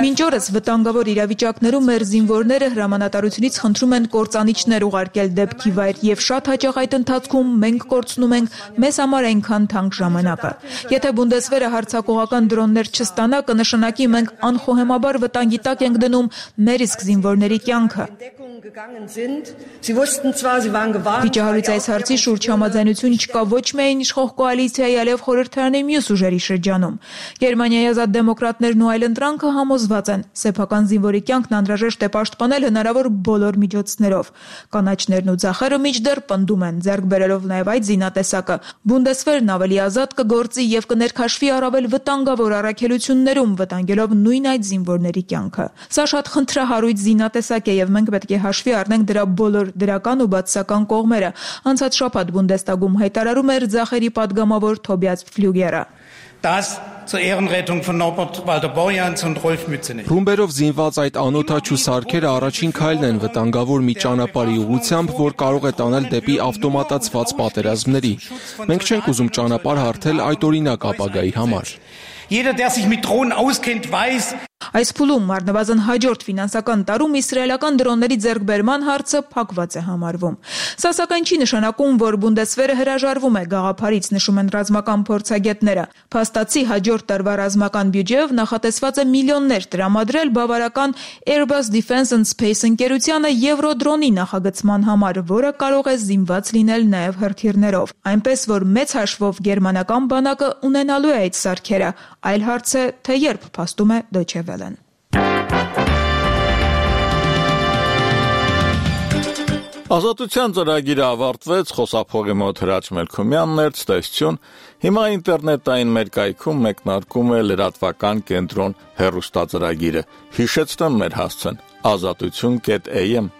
Մինչ օրս վտանգավոր իրավիճակներում մեր զինվորները հրամանատարությունից խնդրում են կործանիչներ ուղարկել դեպքի վայր եւ շատ հաճախ այդ ընթացքում մենք կորցնում ենք մեզ համար այնքան թանկ ժամանակը։ Եթե Բունդեսվերը հարձակողական դրոններ չստանա, կնշանակի մենք անխոհեմաբար վտանգի տակ ենք դնում մեր իսկ զինվորների կյանքը։ Վիճահարույց այս հարցի շուրջ համաձայնություն չկա ոչ միայն իշխող կոալիցիայի, այլև խորհրդարանի մյուս ուժերի շրջանում։ Գերմանիայի ազատ դեմոկրատներն ու այլընտրանքը համոզված են, սեփական զինվորի կյանքն անհրաժեշտ է պաշտպանել հնարավոր բոլոր միջոցներով։ Կանաչներն ու ձախերը մինչդեռ պնդում են, ձեռք բերելով նաև այդ զինատեսակը, Բունդեսվերն ավելի ազատ կգործի եւ կներքաշվի առավել վտանգավոր առաքելություններում, վտանգելով նույն այդ զինվորների կյանքը։ Սա շատ խնդրահարույց զինատեսակ է եւ մենք պետք է հաշվի առնենք դրա բոլոր դրական ու բացասական կողմերը, անցած շաբաթ Բունդեսթագում հայտարարում էր ձախերի պատգամավոր Թոբիաս Ֆլյուգերը։ Zur Ehrenrettung von Norbert Walter Borjans und Rolf Mützenich։ Ռումբերով զինված այդ անօդաչու սարքերը առաջին քայլն են վտանգավոր մի ճանապարհի ուղղությամբ, որ կարող է տանել դեպի ավտոմատացված պատերազմների։ Մենք չենք ուզում ճանապարհ հարթել այդ օրինակ ապագայի համար։ Jeder, der sich mit Drohnen auskennt, weiß, Այս փուլում առնվազն հաջորդ ֆինանսական տարում իսրայելական դրոնների ձեռքբերման հարցը փակված է համարվում։ Սա սակայն չի նշանակում, որ Բունդեսվերը հրաժարվում է գաղափարից, նշում են ռազմական փորձագետները։ Փաստացի հաջորդ տարվա ռազմական բյուջեով նախատեսված է միլիոններ տրամադրել բավարարական Airbus Defence and Space ընկերությանը Եվրոդրոնի նախագծման համար, որը կարող է զինված լինել նաև հրթիռներով։ Այնպես որ մեծ հաշվով գերմանական բանակը ունենալու է այդ սարքերը, այլ հարց է, թե երբ, փաստում է Deutsche Welle-ն։ Ազատության ծրագիրը ավարտվեց, խոսափողի մոտ Հրաչ Մելքումյանն էր, ցտեսություն։ Հիմա ինտերնետային մեր կայքում մեկնարկում է լրատվական կենտրոն հեռուստածրագիրը։ Հիշեցնեմ մեր հասցեն՝ azatutun.am